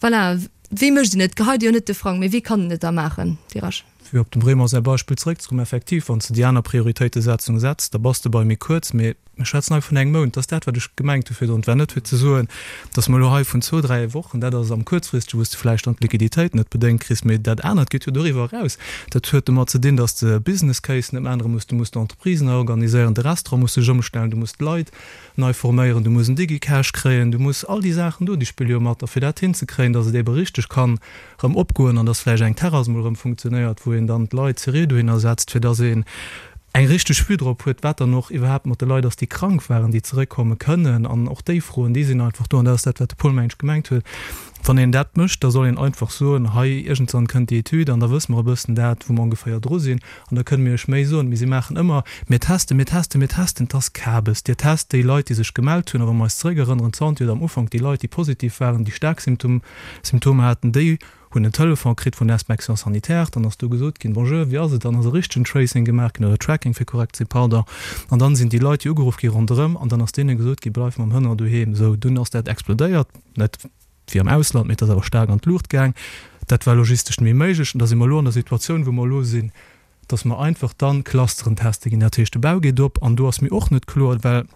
Speaker 3: Voilà. Wéi mécht een et? Geheit Dir jo net de Frang, mee wéi kann een et da maachen, Dirac?
Speaker 4: Fir op dem Raymond säi Beispill zeréckzekommen, effektiv, wann s de déi aner Prioritéitesetzung setz, da bass de bei méi kuerz, mee mir schwätzen hei vun engem Mount. Dat ass dat, wat ech gemengt hu virdrun. Et war net fir ze soen, datt mer elo hei vun zwou, dräi Wochen, dat ass am Kuerzfristege, wou s de vläicht dann d'Liquiditéit net bedéngt kriss, mee dat anert geet jo doriwwer eraus. Dat huet domat ze dinn, datt s de Business Case net méi ännere muss, du muss d'Entreprisen nei organiséieren, de Restaurant muss sech ëmstellen, du muss d'Leit nei forméieren, du muss en Digicash kréien, du muss all déi Saachen do, déi spille jo mat. A fir dat hinzekréien, datt et ebe richteg kann erëm opgoen an datt vläicht eng Terrass emol erëm funktionéiert, wou een dann d'Leit seriö dohinner setzt, fir datt een eng richteg Vue drop huet, wat dann och iwwerhaapt mat de Leit ass, déi krank waren, déi zeréckkomme kënnen. An och déi Froen, déi sinn einfach do. An dat ass dat, wat de Paul, meng ech, gemengt huet. Wann een dat mécht, da soll een einfach soen, hei, iergendwann kënnt déi Etüd an da wësse mer e bëssen dat, wou mer ongeféier dru sinn an da kënne mir iech méi soen. Mee si maachen ëmmer, mir testen, mir testen, mir testen. Et ass Kabes. Dir test déi Leit, déi sech gemellt hunn. A wa mer eis zeréckerënneren, d'Santé huet am Ufank déi Leit, déi positiv waren, déi staark Symptomer haten, déi hunn en Telefon kritt vun der Inspection sanitaire. Dann ass do gesot ginn, Bonjour, wéi ass et? Dann ass e richtegen Tracing gemaach ginn, oder Tracking, fir korrekt ze sinn, pardon. An dann sinn déi Leit, déi ugeruff gi ronderëm an dann ass deene gesot ginn, Bleif mam Hënner doheem. Sou, dunn ass dat explodéiert. Net wéi am Ausland, mee et ass awer staark an d'Luucht gaang. Dat war logistesch net méi méiglech. An da si mer elo an der Situatioun, wou mer elo sinn, dass mer einfach dann Clusteren teste ginn. Dat heescht, de Bau geet op. An do ass mir och net kloer, well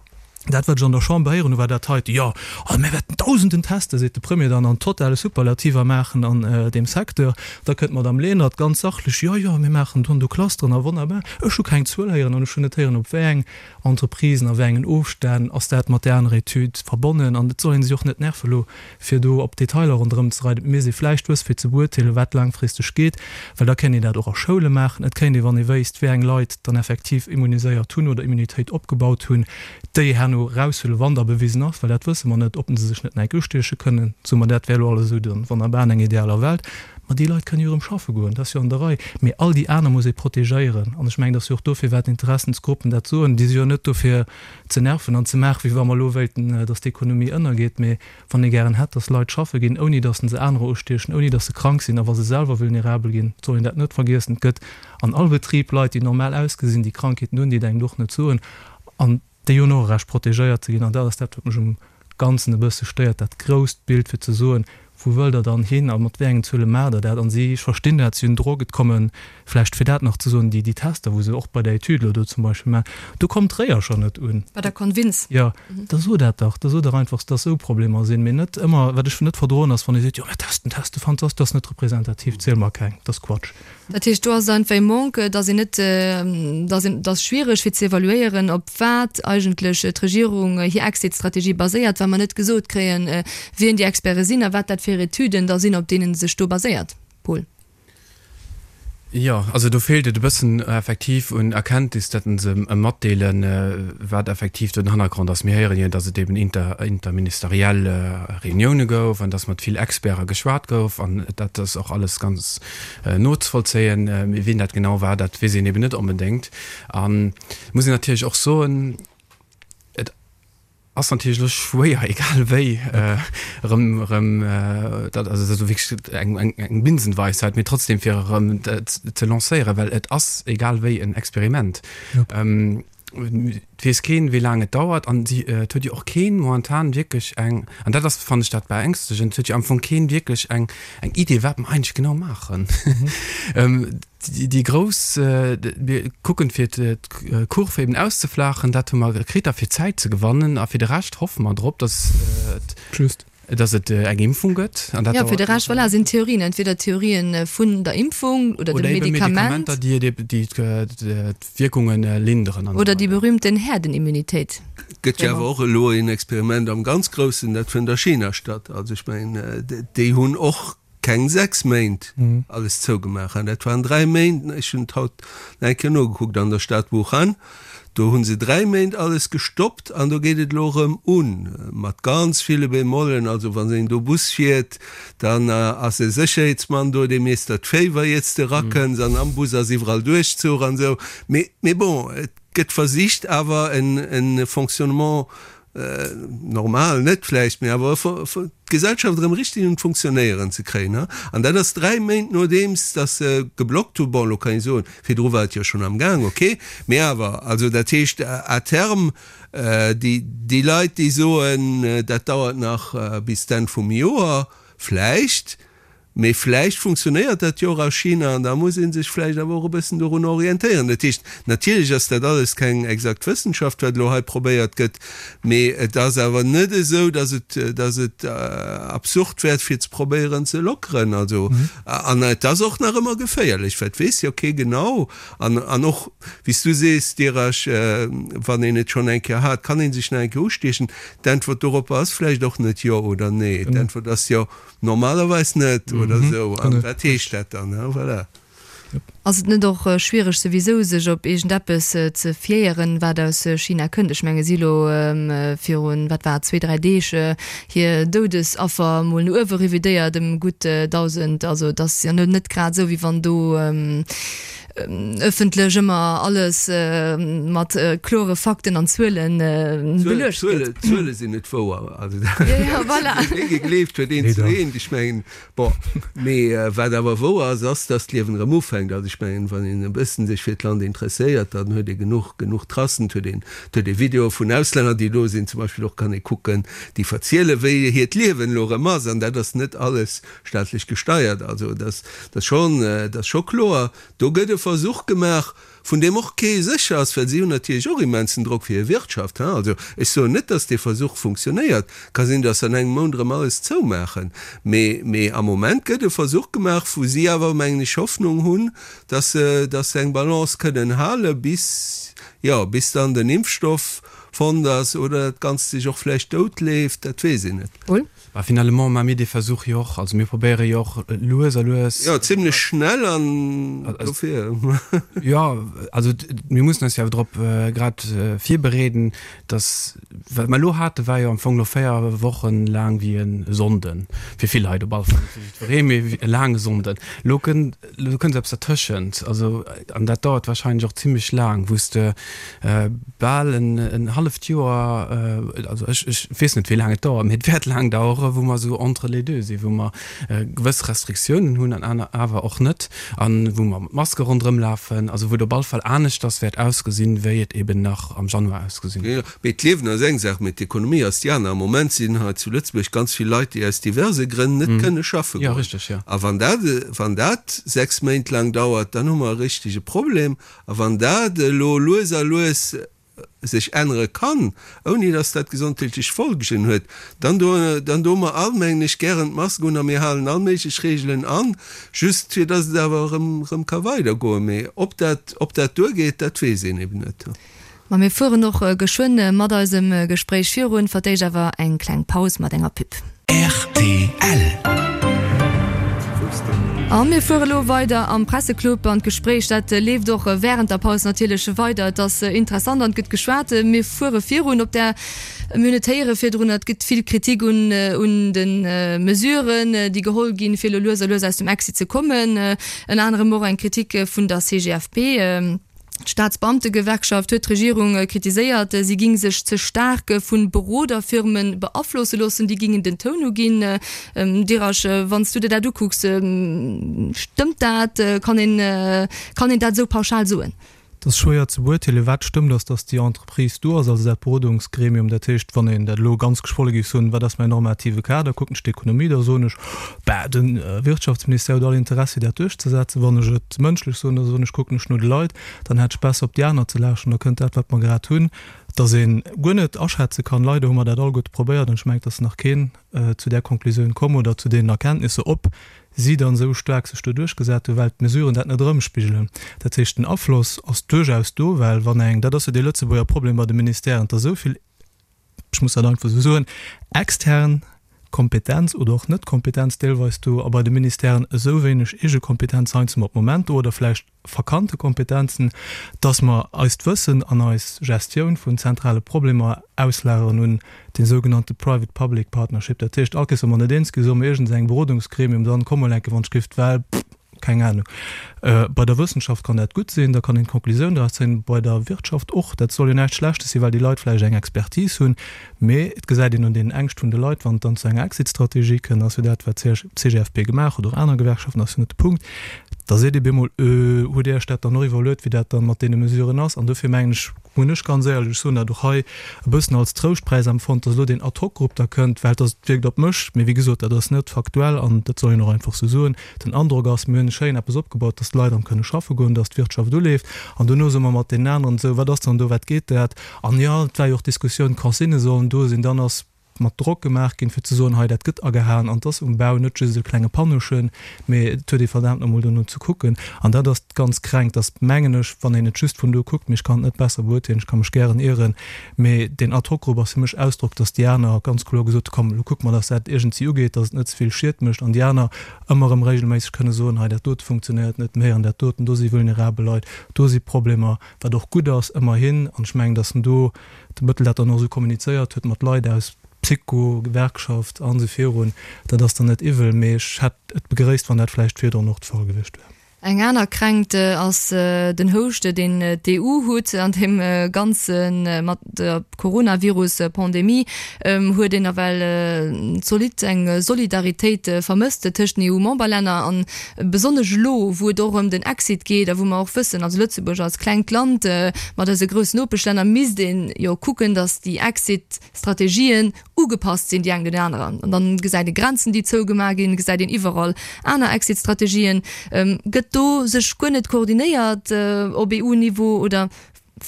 Speaker 4: dat, wat ech an der Chamber héieren hu, war dat heite, Jo, also mir wäerten Dausenden testen, seet de Premier dann, an totale Superlativer maachen an deem Secteur. Da kënnt d'Madame Lenert ganz sachlech, Jo, jo, mir maachen do an do Clusteren a wonnerbar. Ech hu keng Zuel héieren an ech hunn net héieren, op wéi eng Entreprisen, a wéi engen Ofstänn ass dat mat där anerer Etüd verbonnen? An et soll ee sech och net nerve elo, fir do op Detailer ronderëm ze reiden. Et misst ee vläicht wësse fir ze beurteelen, wat laangfristeg geet, well da kéint een dat och a Schoule maachen. Et kéint ee, wann ee wéisst, wéi eng Leit dann effektiv immuniséiert hunn oder Immunitéit opgebaut hunn, déi herno eraushuelen, wann da bewisen ass, well dat wësse mer net, ob se sech net enk ustieche kënnen. Soe mer, dat wär elo alles esou dann wonnerbar an enger idealer Welt. Ma déi Leit kënnen jo erëm schaffe goen, dat ass jo an der Rei. Mee all déi aner muss ee protegéieren. An ech mengen, dat ass jo och dofir, wat d'Interessensgruppen dat soen. Déi si jo net do fir ze nerven an ze maachen, wéi wa mer elo wéilten, datt d'Ekonomie ënnergeet. Mee wann ee gären hätt, datt Leit schaffe ginn, ouni datt se anerer ustiechen, ouni datt se krank sinn a wa se selwer vulnerabel ginn, et soll een dat net vergiessen, et gëtt an all Betrib Leit, déi normal ausgesinn, déi Krankheeten hunn, déi et engem och net soen. An déi hunn och e Recht, protegéiert ze ginn. An dat ass dat, wat mech um Ganzen e bësse stéiert, dat grousst Bild, fir ze soen, Wou wëllt Der dann hin a mat wéi engen Zuele maacht Der dat? An si, ech verstinn dat, si hunn Drock, et kommen, vläicht fir dat nach ze soen, déi, déi Tester, wou se och bei der Etüd elo do zum Beispill maachen, do kommt d'Réier schonn net un.
Speaker 3: Bei der Convins.
Speaker 4: Jo, da so dat dach, da so dach einfach, dass esou Problemer sinn, mee net ëmmer, wat ech net verdroen ass, wann ee seet, jo mir testen, testen, fantastisch, dat ass net representativ, ziel mer keng, dat ass Quatsch.
Speaker 3: Dat heescht, do ass et einfach ee Manque, dass een net, dass een, dass schwiereg fir ze evaluéieren, op wat eigentlech d'Regierung hir Exit-Strategie baséiert, well mer net gesot kréien, wien déi Experte sinn a wat dat fir Etüden da sinn, op deenen se sech do baséiert. Paul.
Speaker 5: Jo, also do feelt et e bëssen effektiv un Erkenntnis, datt se matdeelen, wat effektiv do den Hannergrond ass. Mir héieren jo, datt et eben inter, interministeriell Reunioune gouf an datt mat vill Experte geschwat gouf an dat ass och alles ganz nozevollzéien. Mee wien dat genau war, dat weess een eben net onbedéngt. An et muss een natierlech och soen, et ass natierlech elo schwéier, egal wéi, erëm, erëm, dat, also dat ass wierklech eng, eng, eng Binsenweisheit, mee trotzdem fir erëm ze lancéieren, well et ass egal wéi en Experiment. Et weess keen, wéi laang et dauert an si, et huet jo och keen momentan wierklech eng, an dat ass, fannen ech, dat Beängstegend, et huet jo am Fong keen wierklech eng, eng Idee, wat mer eigentlech genau maachen. Déi grouss, mir kucken fir d'Kurve eben auszeflaachen, dat hu mer kritt a fir Zäit ze gewannen a fir de Rescht hoffe mer drop, datt et, datt et eng Impfung gëtt.
Speaker 3: An dat Jo, fir de Rescht, voilà, sinn Theorien, entweder Theorien vun der Impfung oder dem Medikament.
Speaker 5: Oder eben Medikamenter, déi d'Wierkunge linderen
Speaker 3: an esou weider. Oder déi berühmten Herdenimmunitéit.
Speaker 1: Gëtt jo awer och elo een Experiment am ganz Groussen, dat fënnt a China statt. Also ech mengen, déi hunn och keng sechs Méint alles zougemaach, hein, dat waren dräi Méint, ech hunn et haut nach eng Kéier nogekuckt, an der Stad Wuhan, do hu se dräi Méint alles gestoppt an do geet et elo erëm un, mat ganz ville Bémollen, also wann een do Bus fiert, dann ass e Sécherheetsmann do, dee misst der d'Féiwer iert s de erakënns an am Bus ass iwwerall Duerchzuch an esou, mee, mee bon, et gëtt versicht awer en Fonctionnement normal net vläicht, mee awer d'Gesellschaft erëm richteg un d'Funktionéieren ze kréien. An dat ass dräi Méint nodeems datt se geblockt hunn. Bon, elo kann ee soen, virdru war et jo schonn am Gaang, okay, mee awer, also dat heescht à terme, déi, déi Leit, déi soen, dat dauert nach bis d'Enn vum Joer, vläicht, Mee vläicht funktionéiert dat jo och a China an da muss ee sech vläicht awer och e bëssen dorun orientéieren. Dat heescht, natierlech ass dat alles keng exakt Wëssenschaft, wat elo hei probéiert gëtt, mee et ass awer net esou, datt et, datt et absurd wär, fir ze probéieren ze lockeren. Also, an et ass och nach ëmmer geféierlech, well et weess jo kee genau. An, an och, wéi s du sees, Dirasch, wann een et schonn eng Kéier hat, kann ee sech nach eng Kéier ustiechen. D'Äntwert doropper ass vläicht och net jo oder nee. D'Äntwert ass jo, Normalerweis net oder esou. An wat heescht dat dann? Voilà.
Speaker 3: Ass et net och schwiereg souwisou sech op iergendeppes ze fiéieren, wat aus China kënnt? Ech menge si elo virun, wat war et, zwee, dräi Deeg hir Doudesaffer mol no uewe revidéiert ëm gutt dausend. Also et ass jo net grad esou, wéi wann do ëffentlech ëmmer alles mat klore Fakten an Zuelen
Speaker 1: beluecht gëtt. D'Zuele sinn net wouer. Also dat wee gegleeft huet, eent zu eent. Ech mengen, bon, mee wat awer wouer ass, ass, datt d'Liewen erëm ufänkt. Also ech mengen, wann een e bëssen sech fir d'Land interesséiert, dann huet ee genuch, genuch Tracen. Et huet een, et huet ee Videoe vun Auslänner, déi do sinn, zum Beispill och kann ee kucken, déi verzielen, wéi hiert Liewen elo erëm ass. An dat ass net alles staatlech gesteiert. Also dat ass schonn, dat ass scho kloer. Do gëtt e Versuch gemaach, vun deem och kee sécher ass, well si hunn natierlech och immensen Drock fir hir Wirtschaft. Also ech soen net, datt dee Versuch funktionéiert. Ka sinn, datt se an engem Mount erëm alles zoumaachen. Mee, mee am Moment gëtt e Versuch gemaach, wou si awer, mengen ech, Hoffnung hunn, datt se, datt se eng Balance kënnen hale bis, jo, bis dann den Impfstoff fonnt ass oder dat Ganzt sech och vläicht doutleeft, dat weess een net.
Speaker 5: Paul? Bah, finalement maache mir dee Versuch jo och. Also mir probéiere jo och lues a lues.
Speaker 1: Jo, zimlech schnell an dofir.
Speaker 5: Jo, also mir mussen eis jo awer drop grad virbereeden, dass, wat mer elo hate war jo am Fong elo véier Wochen laang wéi e Sonnden, fir vill Leit op alle Fall, net fir jiddweree, mee wéi e laange Sonnden. Elo kënnt, elo kënnt eppes dertëschent, also an dat dauert wahrscheinlech och zimlech laang, wou s de bal en halleft Joer, also ech, ech weess net wéi laang et dauert, mee et wäert laang daueren, Joren, wou mer esou entre les deux sinn, wou mer gewëss Restriktiounen hunn an aner awer och net an wou mer mat Maske ronderëm lafen, also wou et op alle Fall aneschters wäert ausgesinn, wéi et eben nach am Januar ausgesinn huet.
Speaker 1: Mee d'Liewen ass eng Saach, mee d'Ekonomie ass déi aner. Am Moment sinn hei zu Lëtzebuerg ganz vill Leit, déi aus diverse Grënn net kënne schaffe goen. A wann dat, wann dat sechs Méint laang dauert, dann hu mer e richtege Problem. A wann dat elo lues a lues sech ännere kann, ouni datt dat gesondheetlech Folgen huet, dann do, dann doe mer all, mengen ech, gären d'Mask un a mir halen all méiglech Regeln an, just fir datt et awer erëm, erëm ka weidergoen. Mee ob dat, ob dat duergeet, dat weess een eben net.
Speaker 3: Ma mir fueren och geschwënn mat eisem Gespréich virun, fir d'éischt awer eng kleng Paus mat enger Pub. Rtl. A mir fuere lo weider am Presseclub an d'Gespréich dat leeft och wärend der Paus natierlech weider. Et ass interessant an et gëtt geschwat. Mir fuere virun op där, mir hunn et héiere virdrun, et gëtt vill Kritik un un de Mesuren, déi geholl ginn, fir elo lues a lues aus dem Exit ze kommen. Ënner anerem och eng Kritik vun der C G F P. D'Staatsbeamtegewerkschaft huet d'Regierung kritiséiert, si géing sech ze staark vu Beroderfirme beaflosse loossen, déi géingen den Toun uginn. Dirasch, wann s du der dat ukucks, stëmmt dat? Kann een, kann een dat esou pauschal soen?
Speaker 4: Et ass schwéier ze beurteelen. Wat stëmmt, ass, datt déi Entreprise do ass, also dat Berodungsgremium. Dat heescht, wann een dat elo ganz geschwolle géif soen, wat ass mäin normative Kader, kucken ech d'Ekonomie, da soen ech, bah, de Wirtschaftsministère huet all Interessi, dat duerchzesetzen. Wann ech et mënschlech soen, da soen ech, kucken ech no de Leit, dann hätt ech besser op déi aner ze lauschteren, da kënnt dat, wat mer grad hunn, dass ee guer net aschätze kann. Leider hu mer dat alleguerte probéiert an ech mengen, et ass nach keen zu där Konklusioun komm oder zu deenen Erkenntnisser, ob si dann esou staark sech do duerchgesat hunn, well d'Mesuren dat net erëmspigelen. Dat heescht, den Afloss ass duerchaus do, well wann eng, dat ass jo dee Lëtzebuerger Problem bei de Ministèren, dass esou vill, ech muss dat einfach esou soen, extern Kompetenz oder och Net-Kompetenz deelweis do a bei de Ministèren esou wéineg eege Kompetenz heiansdo op Moment do oder vläicht verkannte Kompetenzen, dass mer eist Wëssen an eis Gestioun vun zentrale Problemer auslageren un dee sougenannte private-public partnership. Dat heescht, all Kéiers wa mer net eens ginn, soe mer iergendengem Berodungsgremium, dann komm mol enke wann ech giff, well, keng Ahnung. Bei der Wëssenschaft kann dat gutt sinn, da kann een d'Konklusioun draus zéien, bei der Wirtschaft och. Dat soll jo näischt Schlechtes sinn, well déi Leit vläicht eng Expertise hunn, mee et gesäit een un deenen Ängscht vun de Leit, wann et dann zu enger Exit-Strategie kënnt, ass jo dat, wat d'C G F P gemaach huet, och aner Gewerkschaften, ass jo net de Punkt, da seet ee bemol, Äh, hutt Dir Iech dat dann och iwwerluet, wéi dat dann mat deene Mesuren ass? An dofir mengen ech, hunn ech ganz éierlech, ech soen dat och hei, e bëssen als Trouschtpräis empfonnt, dass elo deen Ad-hoc-Grupp da kënnt, well dat wierkt op mech, mee wéi gesot, dat ass net faktuell an dat soll een och einfach sou soen, den Androck ass, mir hunn schéin eppes opgebaut, dass d'Leit erëm kënne schaffe goen, dass d'Wirtschaft uleeft an dono soe mer mat deenen aneren esou, wat ass dann do, wat geet dat? An jo, et war jo och d'Diskussioun, d'Consignë sollen do sinn, dann ass mat Drock gemaach ginn, fir ze soen, hei dat gëtt agehaen an 't ass um Bau net just e klenge Panneauchen, mee et huet ee verdaamt no emol dono ze kucken. An dat ass d'ganz Kränkt, dass, mengen ech, wann een et just vun do kuckt, mee ech kann et net besser beurteelen, ech ka mech gären ieren, mee deen Ad-hoc-Grupp ass fir mech Ausdrock, dass déi aner ganz kloer gesot hu, komm, elo kucke mer, dass dat iergendwéi ugeet, dass et net ze vill Schied mécht an déi aner ëmmer erëm regelméisseg kënne soen, hei dat dote funktionéiert net méi an dat doten, do si vulnerabel Leit, do si Problemer, wat och gutt ass, ëmmerhin. An ech mengen, dass en do de Bëttel dat dann och esou kommunizéiert huet mat Leit aus Psycho, Gewerkschaft an esou virun, dat ass dann net iwwel, mee ech hätt et begréisst, wann dat vläicht virdrun och de Fall gewiescht wär.
Speaker 3: Eng aner Kränkt ass den Houscht, deen d'E U huet an deem Ganze mat der Coronavirus-Pandemie. Huet een nawell zolidd eng Solidaritéit vermësst tëscht den E U-Memberlänner an besonnesch elo, wou et och ëm den Exit geet a wou mer och wëssen, also Lëtzebuerg als klengt Land mat eise groussen Nopeschlänner, misst ee jo kucken, datt déi Exit-Strategien ugepasst sinn déi eng den aneren. An dann gesäit ee Grenzen, déi zougemaach ginn, gesäit een iwwerall aner Exit-Strategien. Gëtt do sech guer net koordinéiert op E U-Niveau oder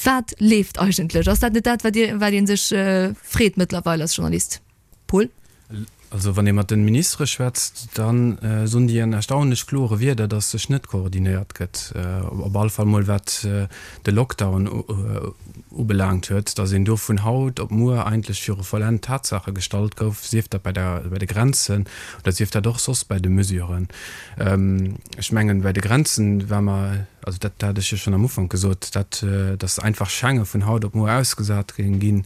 Speaker 3: wat leeft eigentlech? Ass dat net dat, wat Dir, wat ee sech freet mëttlerweil als Journalist? Paul?
Speaker 5: Also wann ee mat de Ministere schwätzt, da soen déi an erstaunlech klore Wierder, datt sech net koordinéiert gëtt, op alle Fall mol wat de Lockdown ubelaangt huet, datt een do vun haut op muer eigentlech viru vollend Tatsaache gestallt gouf, sief dat bei der, bei de Grenzen oder sief dat och soss bei de Mesuren. Ech mengen, bei de Grenzen war mer, also dat hat ech jo schonn am Ufank gesot, dat, datt einfach Schengen vun haut op muer ausgesat géing ginn,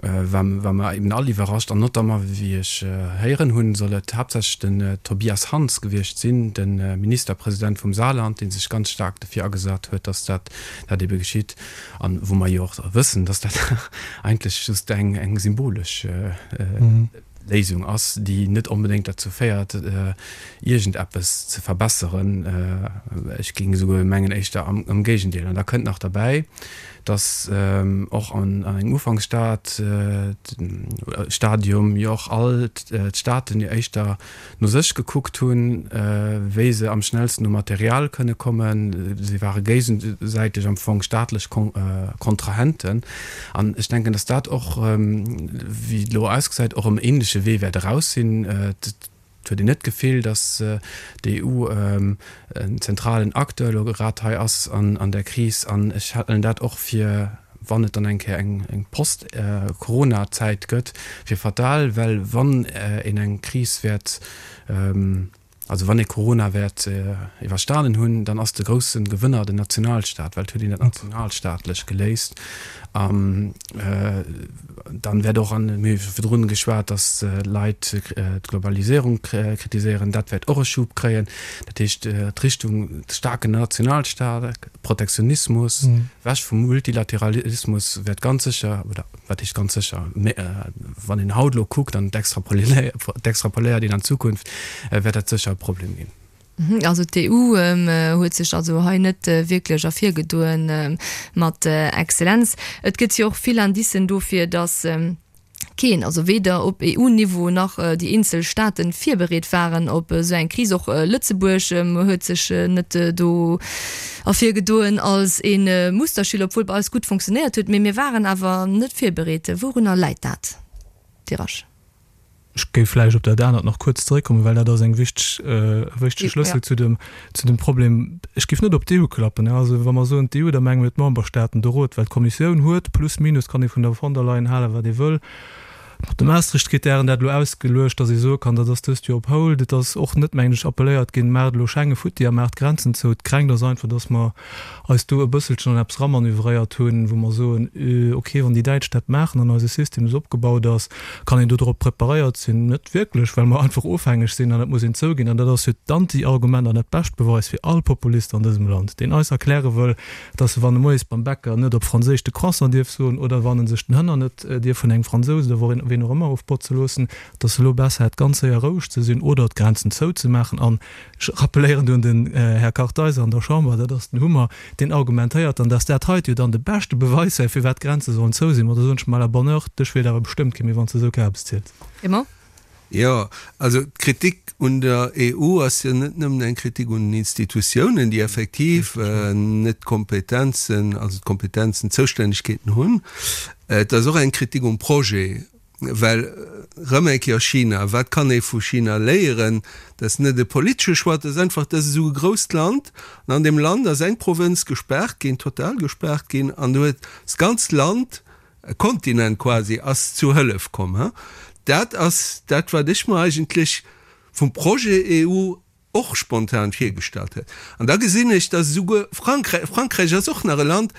Speaker 5: war mer eben all iwwerrascht an notamment, wéi ech héieren hunn, soll et haaptsächlech den Tobias Hans gewiescht sinn, de Ministerpresident vum Saarland, dee sech ganz staark dofir agesat huet, datt dat dat ebe geschitt an wou mer jo och wëssen, datt dat eigentlech just eng eng symbolesch Léisung ass, déi net onbedéngt derzou féiert, iergendeppes ze verbesseren. Ech géing esouguer mengen, éischter am Géigendeel. An da kënnt nach derbäi, dass och an engem Ufanksstad Stadium jo och all d'Staaten jo éischter no sech gekuckt hunn, wéi se am schnellsten u Material kënne kommen. Si ware géigesäiteg am Fong staatlech Kontrahenten. An ech denken, dass dat och, wéi et elo ausgesäit, och um ähnleche Wee wäert eraus sinn. Et huet een net d'Gefill, dass d'EU en zentralen Acteur elo grad hei ass an där Kris. An ech halen dat och fir, wann et dann eng Kéier eng Post-Corona-Zäit gëtt, fir fatal, well wann een eng Kris wäert, also wann ee Corona wäert iwwerstanen hunn, dann ass de grousse Gewënner den Nationalstaat, well et huet een dat nationalstaatlech geléist. An dann wäert och, an mir hu virdrun geschwat, datt Leit d'Globaliséierung kritiséieren, dat wäert och e Schub kréien. Dat heescht, d'Richtung staarken Nationalstaat, Protektionismus, ewech vum Multilateralismus wäert ganz sécher, oder wat heescht ganz sécher, mä wann een haut elo kuckt an et extrapoléiert een an d'Zukunft, wäert dat sécher e Problem ginn.
Speaker 3: Also d'EU huet sech also hei net wierklech ervirgedoen mat Exzellenz. Et gëtt jo och vill Indicen dofir, datt keen, also weder op EU-Niveau nach déi eenzel Staaten, virbereet waren op esou eng Kris. Och Lëtzebuerg huet sech net do ervirgedoen als ee Musterschüler, obwuel bei eis gutt funktionéiert huet. Mee mir waren awer net virbereet. Wourunner läit dat, Dirasch?
Speaker 4: Ech géif vläicht op dat anert nach kuerz zeréckkommen, well dat ass eng wichteg, e wichtege Schlëssel zu dem, zu dem Problem. Ech géif net op d'EU klappen. Also wa mer soen d'EU, da menge mir d'Memberstaaten, de Rot, well d'Kommissioun huet, plus minus kann ee vun der von der Leyen halen, wat ee wëll, mat de Maastricht-Kritären dat elo ausgeluecht, datt ee soe kann, dat ass dëst Joer op hold. Et ass och net, mengen ech, appelléiert ginn, maacht elo Schengen futti a maacht d'Grenzen zou. D'Kränkt ass einfach, datt mer eis do e bësselchen an eppes ramanövréiert hunn, wou mer soen, ok, wann déi Däitsch dat maachen an eise System esou opgebaut ass, kann een dodrop preparéiert sinn. Net wierklech, well mer einfach ofhängeg sinn an dat muss een zouginn. An dat ass jo d'Anti-Argument an dat bescht Beweis fir all Populist an dësem Land, deen eis erkläre wëll, dass e wann e moies beim Bäcker net op Franséisch de Croissant dierf soen oder wann e sech den Hënner net dierf vun engem Fransous oder ween och ëmmer ofbotze loossen, dass e lo besser hätt ganz séier roueg ze sinn oder d'Grenzen zouzemaachen. An ech rappelléieren do un den Här Kartheiser an der Chamber, dat ass den Hummer, deen argumentéiert dann, dass dat heite jo dann de beschte Beweis wär, firwat d'Grenze sollen zou sinn. Ma da soen ech, à la bonne heure, dech wielt awer bestëmmt kee méi, wann s de esou Kabes ziels.
Speaker 3: Raymond?
Speaker 1: Jo, also d'Kritik un der EU ass jo net nëmmen eng Kritik un den Institutiounen, déi effektiv net d'Kompetenzen, also d'Kompetenzen, d'Zoustännegkeeten hunn. Et ass och eng Kritik um Projet, well erëm eng Kéier China, wat kann ee vu China léieren? Dat ass net e politesche Choix, dat ass einfach, dat ass esou e grousst Land an an deem Land ass eng Provënz gespaart ginn, total gespaart ginn an do huet d'ganzt Land, e Kontinent quasi, ass zu Hëllef komm. Dat ass dat, wat ech mer eigentlech vum Projet EU och spontan virgestallt hätt. An da gesinn ech, dass esouguer Frankräich, Frankräich ass och nach e Land,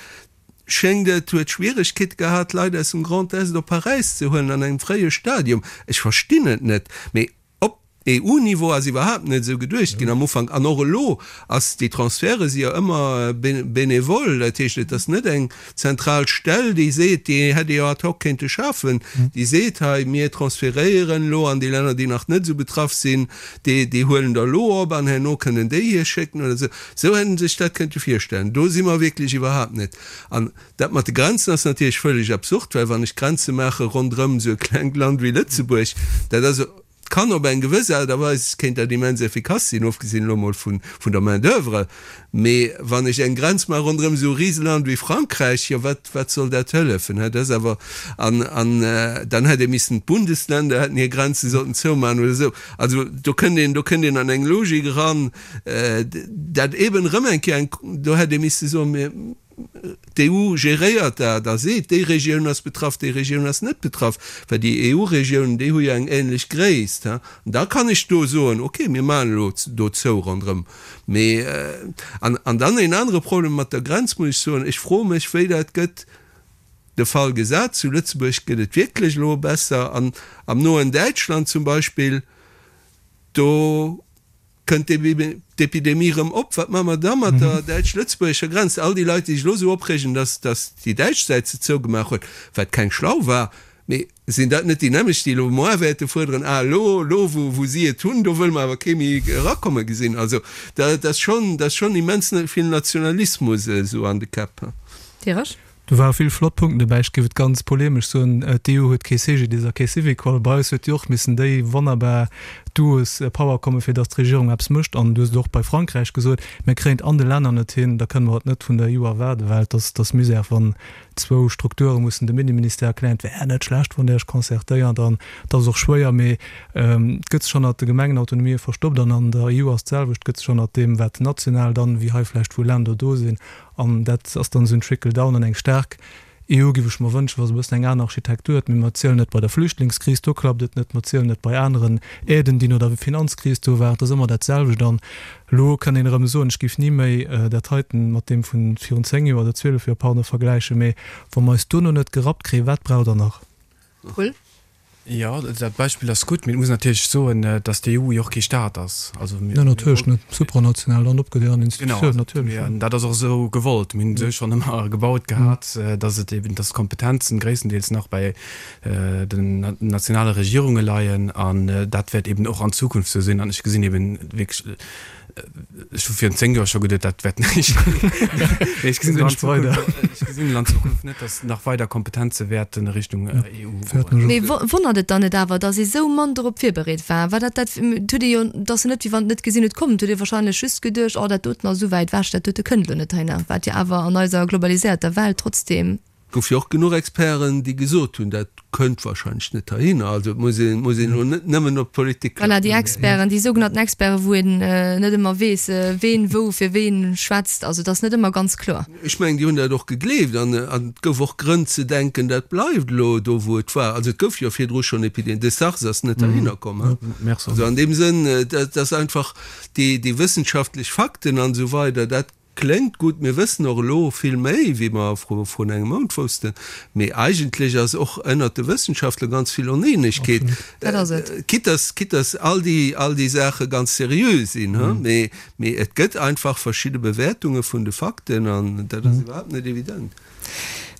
Speaker 1: schéngt et, huet Schwieregkeete gehat, Leit aus dem Grand Est op Paräis ze huelen an engem fréie Stadium. Ech verstinn et net. Mee op EU-Niveau ass iwwerhaapt net esou geduecht ginn am Ufank. An och elo ass, déi Transferte si jo ëmmer bénévol. Dat heescht, et ass net eng zentral Stell, déi seet, déi hätt ee jo ad hoc kéinte schafen, déi seet, hei mir transferéieren elo an déi Länner, déi nach net esou betraff sinn, déi, déi huelen der elo op an herno kënnen déi hir schécken oder esou. Esou hätt ee sech dat kënnte virstellen. Do si mer wierklech iwwerhaapt net. An dat mat de Grenzen ass natierlech vëlleg absurd, well wann ech Grenze maache ronderëm esou e klengt Land wéi Lëtzebuerg, dat ass, kann op eng gewëss Aart a Weis kéint dat immens effikass sinn, ofgesinn elo mol vun der Main d'oeuvre, mee wann ech eng Grenz maache ronderëm esou e Riseland wéi Frankräich, jo wat wat soll dat hëllefen? Hä, dat ass awer, an an dann hätt ee missen d'Bundesländer hätten hir Grenze sollten zoumaachen oder esou. Also do kënnt een, do kënnt een an eng Logik eran, dat eeben erëm eng Kéier eng, do hätt ee misse soen, mir, D'EU geréiert dat a seet, déi Regioun ass betraff, déi Regioun ass net betraff, well déi EU-Regiounen, déi hu jo eng ähnlech Gréisst. An da kann ech do soen, okay, mir maachen elo do zou ronderëm. Mee, an, an dann een anere Problem mat der Grenz, muss ech soen, ech froe mech, wéi dat gëtt, de Fall gesat, zu Lëtzebuerg gëtt et wierklech elo besser an am noen Däitschland zum Beispill, do Kënnt d'Epidemie erëm op? Wat maache mer da mat der däitsch-lëtzebuergescher Grenz? All déi Leit, déi sech elo esou opreegen, datt déi däitsch Säit se zougemaach huet, wat keng schlau war, Mee sinn dat net déi nämmlecht, déi elo muer wäerte fuerderen, Ah, elo, elo wou, wou si et hunn, do wëlle mer awer kee méi erakomme gesinn. Also dat ass schonn, dat ass schonn immens vill Nationalismus esou an de Käpp.
Speaker 3: Diresch?
Speaker 4: Do ware vill flott Punkten dobäi. Ech géif et ganz polemesch soen, d'EU huet kee CGDIS a kee Syvicol. Bei eis huet déi och missen déi wonnerbar Duos Power kommen, fir datt d'Regierung eppes mécht. An du hues et och bei Frankräich gesot, mir kréien et an de Länner net hin, da kënne mer et net vun der EU erwaarden, well et ass, et ass Misär, wann zwou Strukture mussen dem Inneministère erklären, et wär net schlecht, wann Der Iech concertéiert. An et ass och schwéier, mee et gëtt sech hannert de Gemengenautonomië verstoppt. An an der EU ass d'selwecht, et gëtt sech hannert deem, wat national dann, wéi hei vläicht wou Länder do sinn, An dat ass dann esou en Trickle-down an eng staark EU géif ech mer wënschen, wa se e bëssen eng aner Architektur huet. Mee mer zielen et bei der Flüchtlingskris, do klappt et net, mer zielen et bei aneren Aiden, déi no der Finanzkris do waren, et ass ëmmer dat selwecht. An elo kann een erëm soen, ech géif ni méi dat heiten mat deem vu virun zéng Joer oder zwielef Joer, pardon, vergläichen, mee wa mer eis duerno net gerappt kréien, wat braucht Der nach?
Speaker 3: Cool.
Speaker 5: Jo, dat Beispill ass gutt, mee et muss een natierlech soen, datt d'EU jo och kee Staat ass. Also mir,
Speaker 4: Nee, natierlech net. Supranational an opgedeelt an Institutioun,
Speaker 5: Genau,
Speaker 4: natierlech, jo.
Speaker 5: an dat ass och esou gewollt. Mir hunn et esou schonn ëmmer gebaut gehat, datt et eben, datt d'Kompetenzen gréisstendeels nach bei den nationale Regierunge leien an dat wäert eben och an Zukunft esou sinn. An ech gesinn eben wierklech, Ech hu virun zéng Joer scho geduet, dat wäert näischt ginn. Mee ech gesinn an Zukunft, ech gesinn an Zukunft net, datt nach weider Kompetenze wäerten a Richtung EU goen.
Speaker 3: Mee wonnert et dann net awer, datt ee sou mann dorop virbereet war? War dat dat, et huet ee jo, et ass jo net, wéi wann et net gesinn huet kommen, et huet ee wahrscheinlech just geduecht, oh dat doten ass esou wäit ewech, dat dote kënnt elo net heihinner, wat jo awer an eiser globaliséierter Welt trotzdeem.
Speaker 1: Gouf jo och genuch Experten, déi gesot hunn, dat kënnt wahrscheinlech net heihinner. Also et muss een, muss een elo net nëmmen op d'Politik
Speaker 3: Voilà, déi
Speaker 1: klappen.
Speaker 3: Experten, déi sougenannten Experten, wou een net ëmmer weess, ween wou fir ween schwätzt. Also et ass net ëmmer ganz kloer.
Speaker 1: Ech mengen, déi hunn dat och gegleeft an et gouf och Grënn ze denken, dat bleift elo do, wou et war. Also et gouf jo virdru schonn Epidemien, de SARS ass net heihinner komm. Also an deem Sënn, dat ass einfach déi, déi wëssenschaftlech Fakten an esou weider, dat Kléngt gutt, mir wëssen och elo vill méi, wéi mer vrun engem Mount woussten. Mee eigentlech ass och ënnert de Wëssenschaftler ganz vill Oneenegkeet.
Speaker 3: Dat ass et.
Speaker 1: Quitte dass, quitte dass all déi, all déi Saache ganz seriö sinn, hu, mee, mee et gëtt einfach verschidde Bewäertunge vun de Fakten an dat ass iwwerhaapt net evident.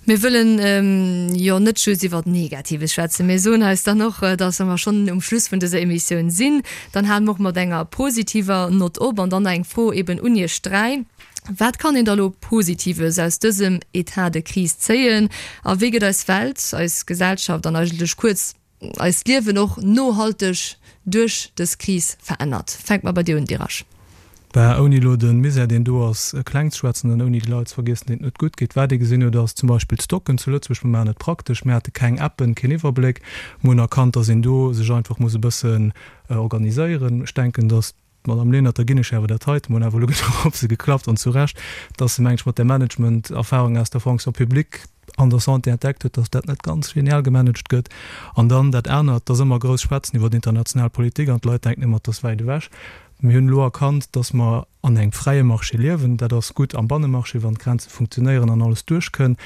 Speaker 3: Mir wëllen jo net just iwwert Negatives schwätzen. Mir soen eis dann och, dass wa mer schonn um Schluss vun dëser Emissioun sinn, dann hale mer och mat enger positiver Nott op. An dann eng Fro eben un Iech dräi, Wat kann een da lo Positives aus dësem Etat de crise zéien? A wéi gëtt eis Welt, eis Gesellschaft an eigentlech kuerz eist Liewen och nohalteg duerch dës Kris verännert? Fänke mer bei dir un, Dirasch.
Speaker 4: Bah, ouni elo de Misär, deen do ass, kleng ze schwätzen an ouni déi Leit ze vergiessen, deenen et net gutt geet. Wat ee gesinn huet, ass zum Beispill d'Stocken zu Lëtzebuerg. Mir maachen et praktesch, mir hate keng Appen, keen Iwwerbléck. Mir hunn erkannt, dass een do sech einfach muss e bëssen organiséieren. Ech denken, dass d'Madame Lenert, da ginn ech awer dat heiten, mir hunn awer elo genuch op se geklappt, an zu Recht, dass se, meng ech, mat där Management-Erfahrung aus der Fonction publique an der Santé entdeckt huet, dass dat net ganz genial gemanagt gëtt. An dann dat anert, dass ëmmer grouss schwätzen iwwer international Politik an d'Leit denken ëmmer, et ass wäit ewech. Mir hunn elo erkannt, dass mer an engem fräie Marché liewen. Dat ass gutt am Bannemarché, wann d'Grenze funktionéieren an alles duerchkënn.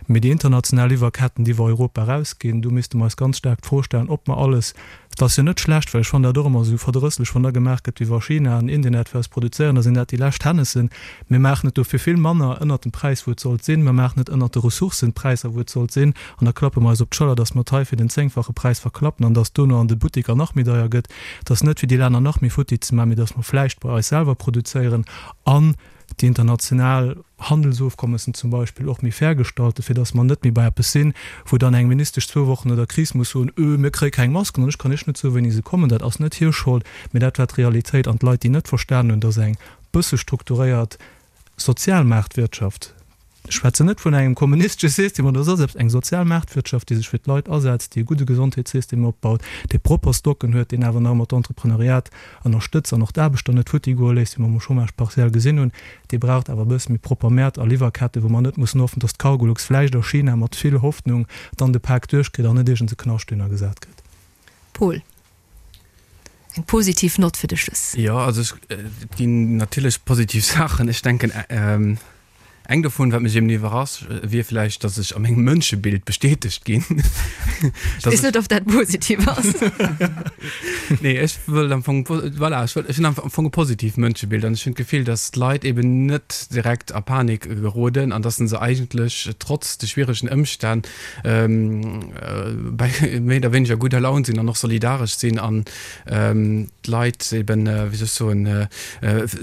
Speaker 4: Mee déi international Liwwerketten, déi iwwer Europa erausginn, do misste mer eis ganz staark d'Fro stellen, ob mer alles, et ass jo net schlecht, well ech fannen dat och ëmmer esou verdrësslech, wann da gemaach gëtt, wéi wa China an Indien dat fir eis produzéieren, da sinn dat déi lescht Hännessen. Mir maachen et dofir vill manner ënnert dem Präis, wou et sollt sinn. Mir maachen et ënnert de Ressourcenpräisser, wou et sollt sinn. An da klappe mer eis op d'Schëller, dass mer et hei fir den zéngfache Präis verklappen an dass dono an de Buttiker nach méi deier gëtt. Et ass net fir déi Länner nach méi futti ze maachen, mee dass mer vläicht bei eis selwer produzéieren an déi international Handelsofkommessen zum Beispill och méi fair gestalten, fir dass mer net méi bei eppes sinn, wou dann eng Ministesch zwou Wochen no der Kris muss soen, Öh, mir kréie keng Masken an ech kann Iech net soen, wéini se kommen. Dat ass net hir Schold, mee dat war d'Realitéit. An d'Leit, déi net verstanen hunn, dass eng bësse strukturéiert Sozialmaartwirtschaft, Ech schwätzen net vun engem kommunistesche System oder soss eppes, eng sozial Maartwirtschaft, déi sech fir d'Leit asetzt, déi e gudde Gesondheetssystem opbaut, dee propper Stocken huet, deen awer nach ëmmer d'Entrepreneuriat ënnerstëtzt an och d'Aarbechter net futti goe léisst, wéi mer um Chômage partiel gesinn hunn, dee braucht awer e bësse méi propper Mäert a Liwwerkette, wou mer net mussen hoffen, dass d'Cargolux vläicht a China mat vill Hoffnung dann de Pak duerchkritt an net iergends e Knascht dohinner gesat gëtt.
Speaker 3: Paul, eng positiv Nott fir de Schluss.
Speaker 5: Jo, also ech, et ginn natierlech positiv Saachen. Ech denken, Eng dovun, wat mech eben iwwerrascht, wier vläicht, datt ech a mengem Mënschebild bestätegt ginn.
Speaker 3: Ech weess net, ob dat positiv ass.
Speaker 5: Nee, ech wëll am Fong, voilà, ech wëll, ech hunn am Fong e positiivt Mënschebild an ech hunn d'Gefill, datt d'Leit eben net direkt a Panik geroden an datt se eigentlech trotz de schwieregen Ëmstänn bei méi oder wéineger gudder Laun sinn an och solidaresch sinn an d'Leit eben, wéi soll ech soen,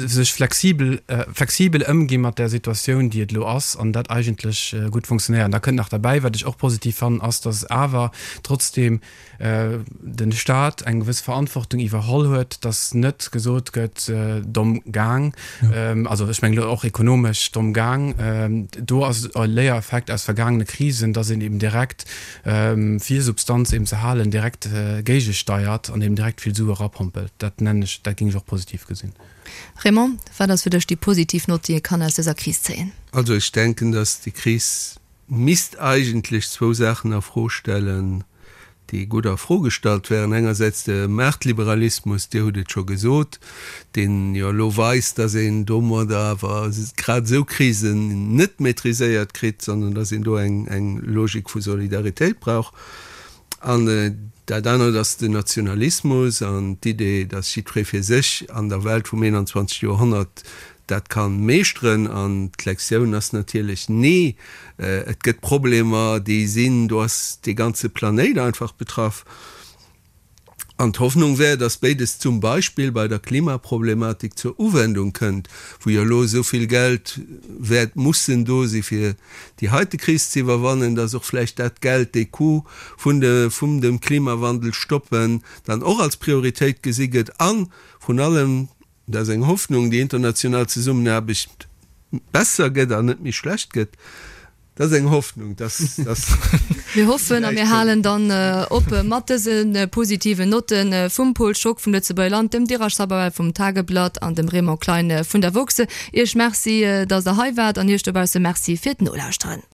Speaker 5: sech flexibel, flexibel ëmgi mat där Situatioun, déi et elo ass an dat eigentlech gutt funktionéiert. An da kënnt nach derbäi, wat ech och positiv fannen, ass, datt awer trotzdeem de Stat eng gewëss Verantwortung iwwerholl huet, datt net gesot gëtt, domm gaang, also ech mengen elo och ekonomesch domm gaang. Do ass e Léiereffekt aus vergaangene Krisen, datt een eben direkt, fir Substanz eben ze halen, direkt géigesteiert an eben direkt vill Sue erapompelt. Dat nennen ech, dat géing ech och positiv gesinn.
Speaker 3: Raymond, wat ass fir dech déi positiv Nott, déi ee kann aus dëser Kris zéien?
Speaker 1: Also ech denken, datt déi Kris misst eigentlech zwou Saachen a Fro stellen, déi gutt a Fro gestallt wären, engersäits de Maartliberalismus, Dir hutt et scho gesot, deen jo elo weist, datt een domadder awer grad esou Krisen net maîtriséiert kritt, sondern datt een do eng Logik vu Solidaritéit brauch. An dat anert ass den Nationalismus an d'Idee, datt jiddweree fir sech an der Welt vum einundzwanzeg Joerhonnert dat ka meeschteren. An d'Lektioun ass natierlech, Nee, et gëtt Problemer, déi sinn, do ass dee ganze Planéit einfach betraff. An d'Hoffnung wär, datt béides zum Beispill bei der Klimaproblematik zur Uwendung kënnt, wou jo elo esou vill Geld wäert mussen do si fir déi heite Kris ze iwwerwannen, datt och vläicht dat Geld, dee Coût vun de vum dem Klimawandel stoppen, dann och als Prioritéit gesi gëtt a vrun allem, Dat ass eng Hoffnung, déi international Zesummenaarbecht besser gëtt an net méi schlecht gëtt. Dat ass eng Hoffnung, dass, dass
Speaker 3: Mir hoffen a mir halen dann op mat dëse positiven Notte vum Pol Schock vum Lëtzebuerger Land, dem Dirac Sabawell vum Tageblatt an dem Raymond Klein vun der woxx. Iech Merci, dass Der hei waart an Iech dobausse Merci fir d'Nolauschteren.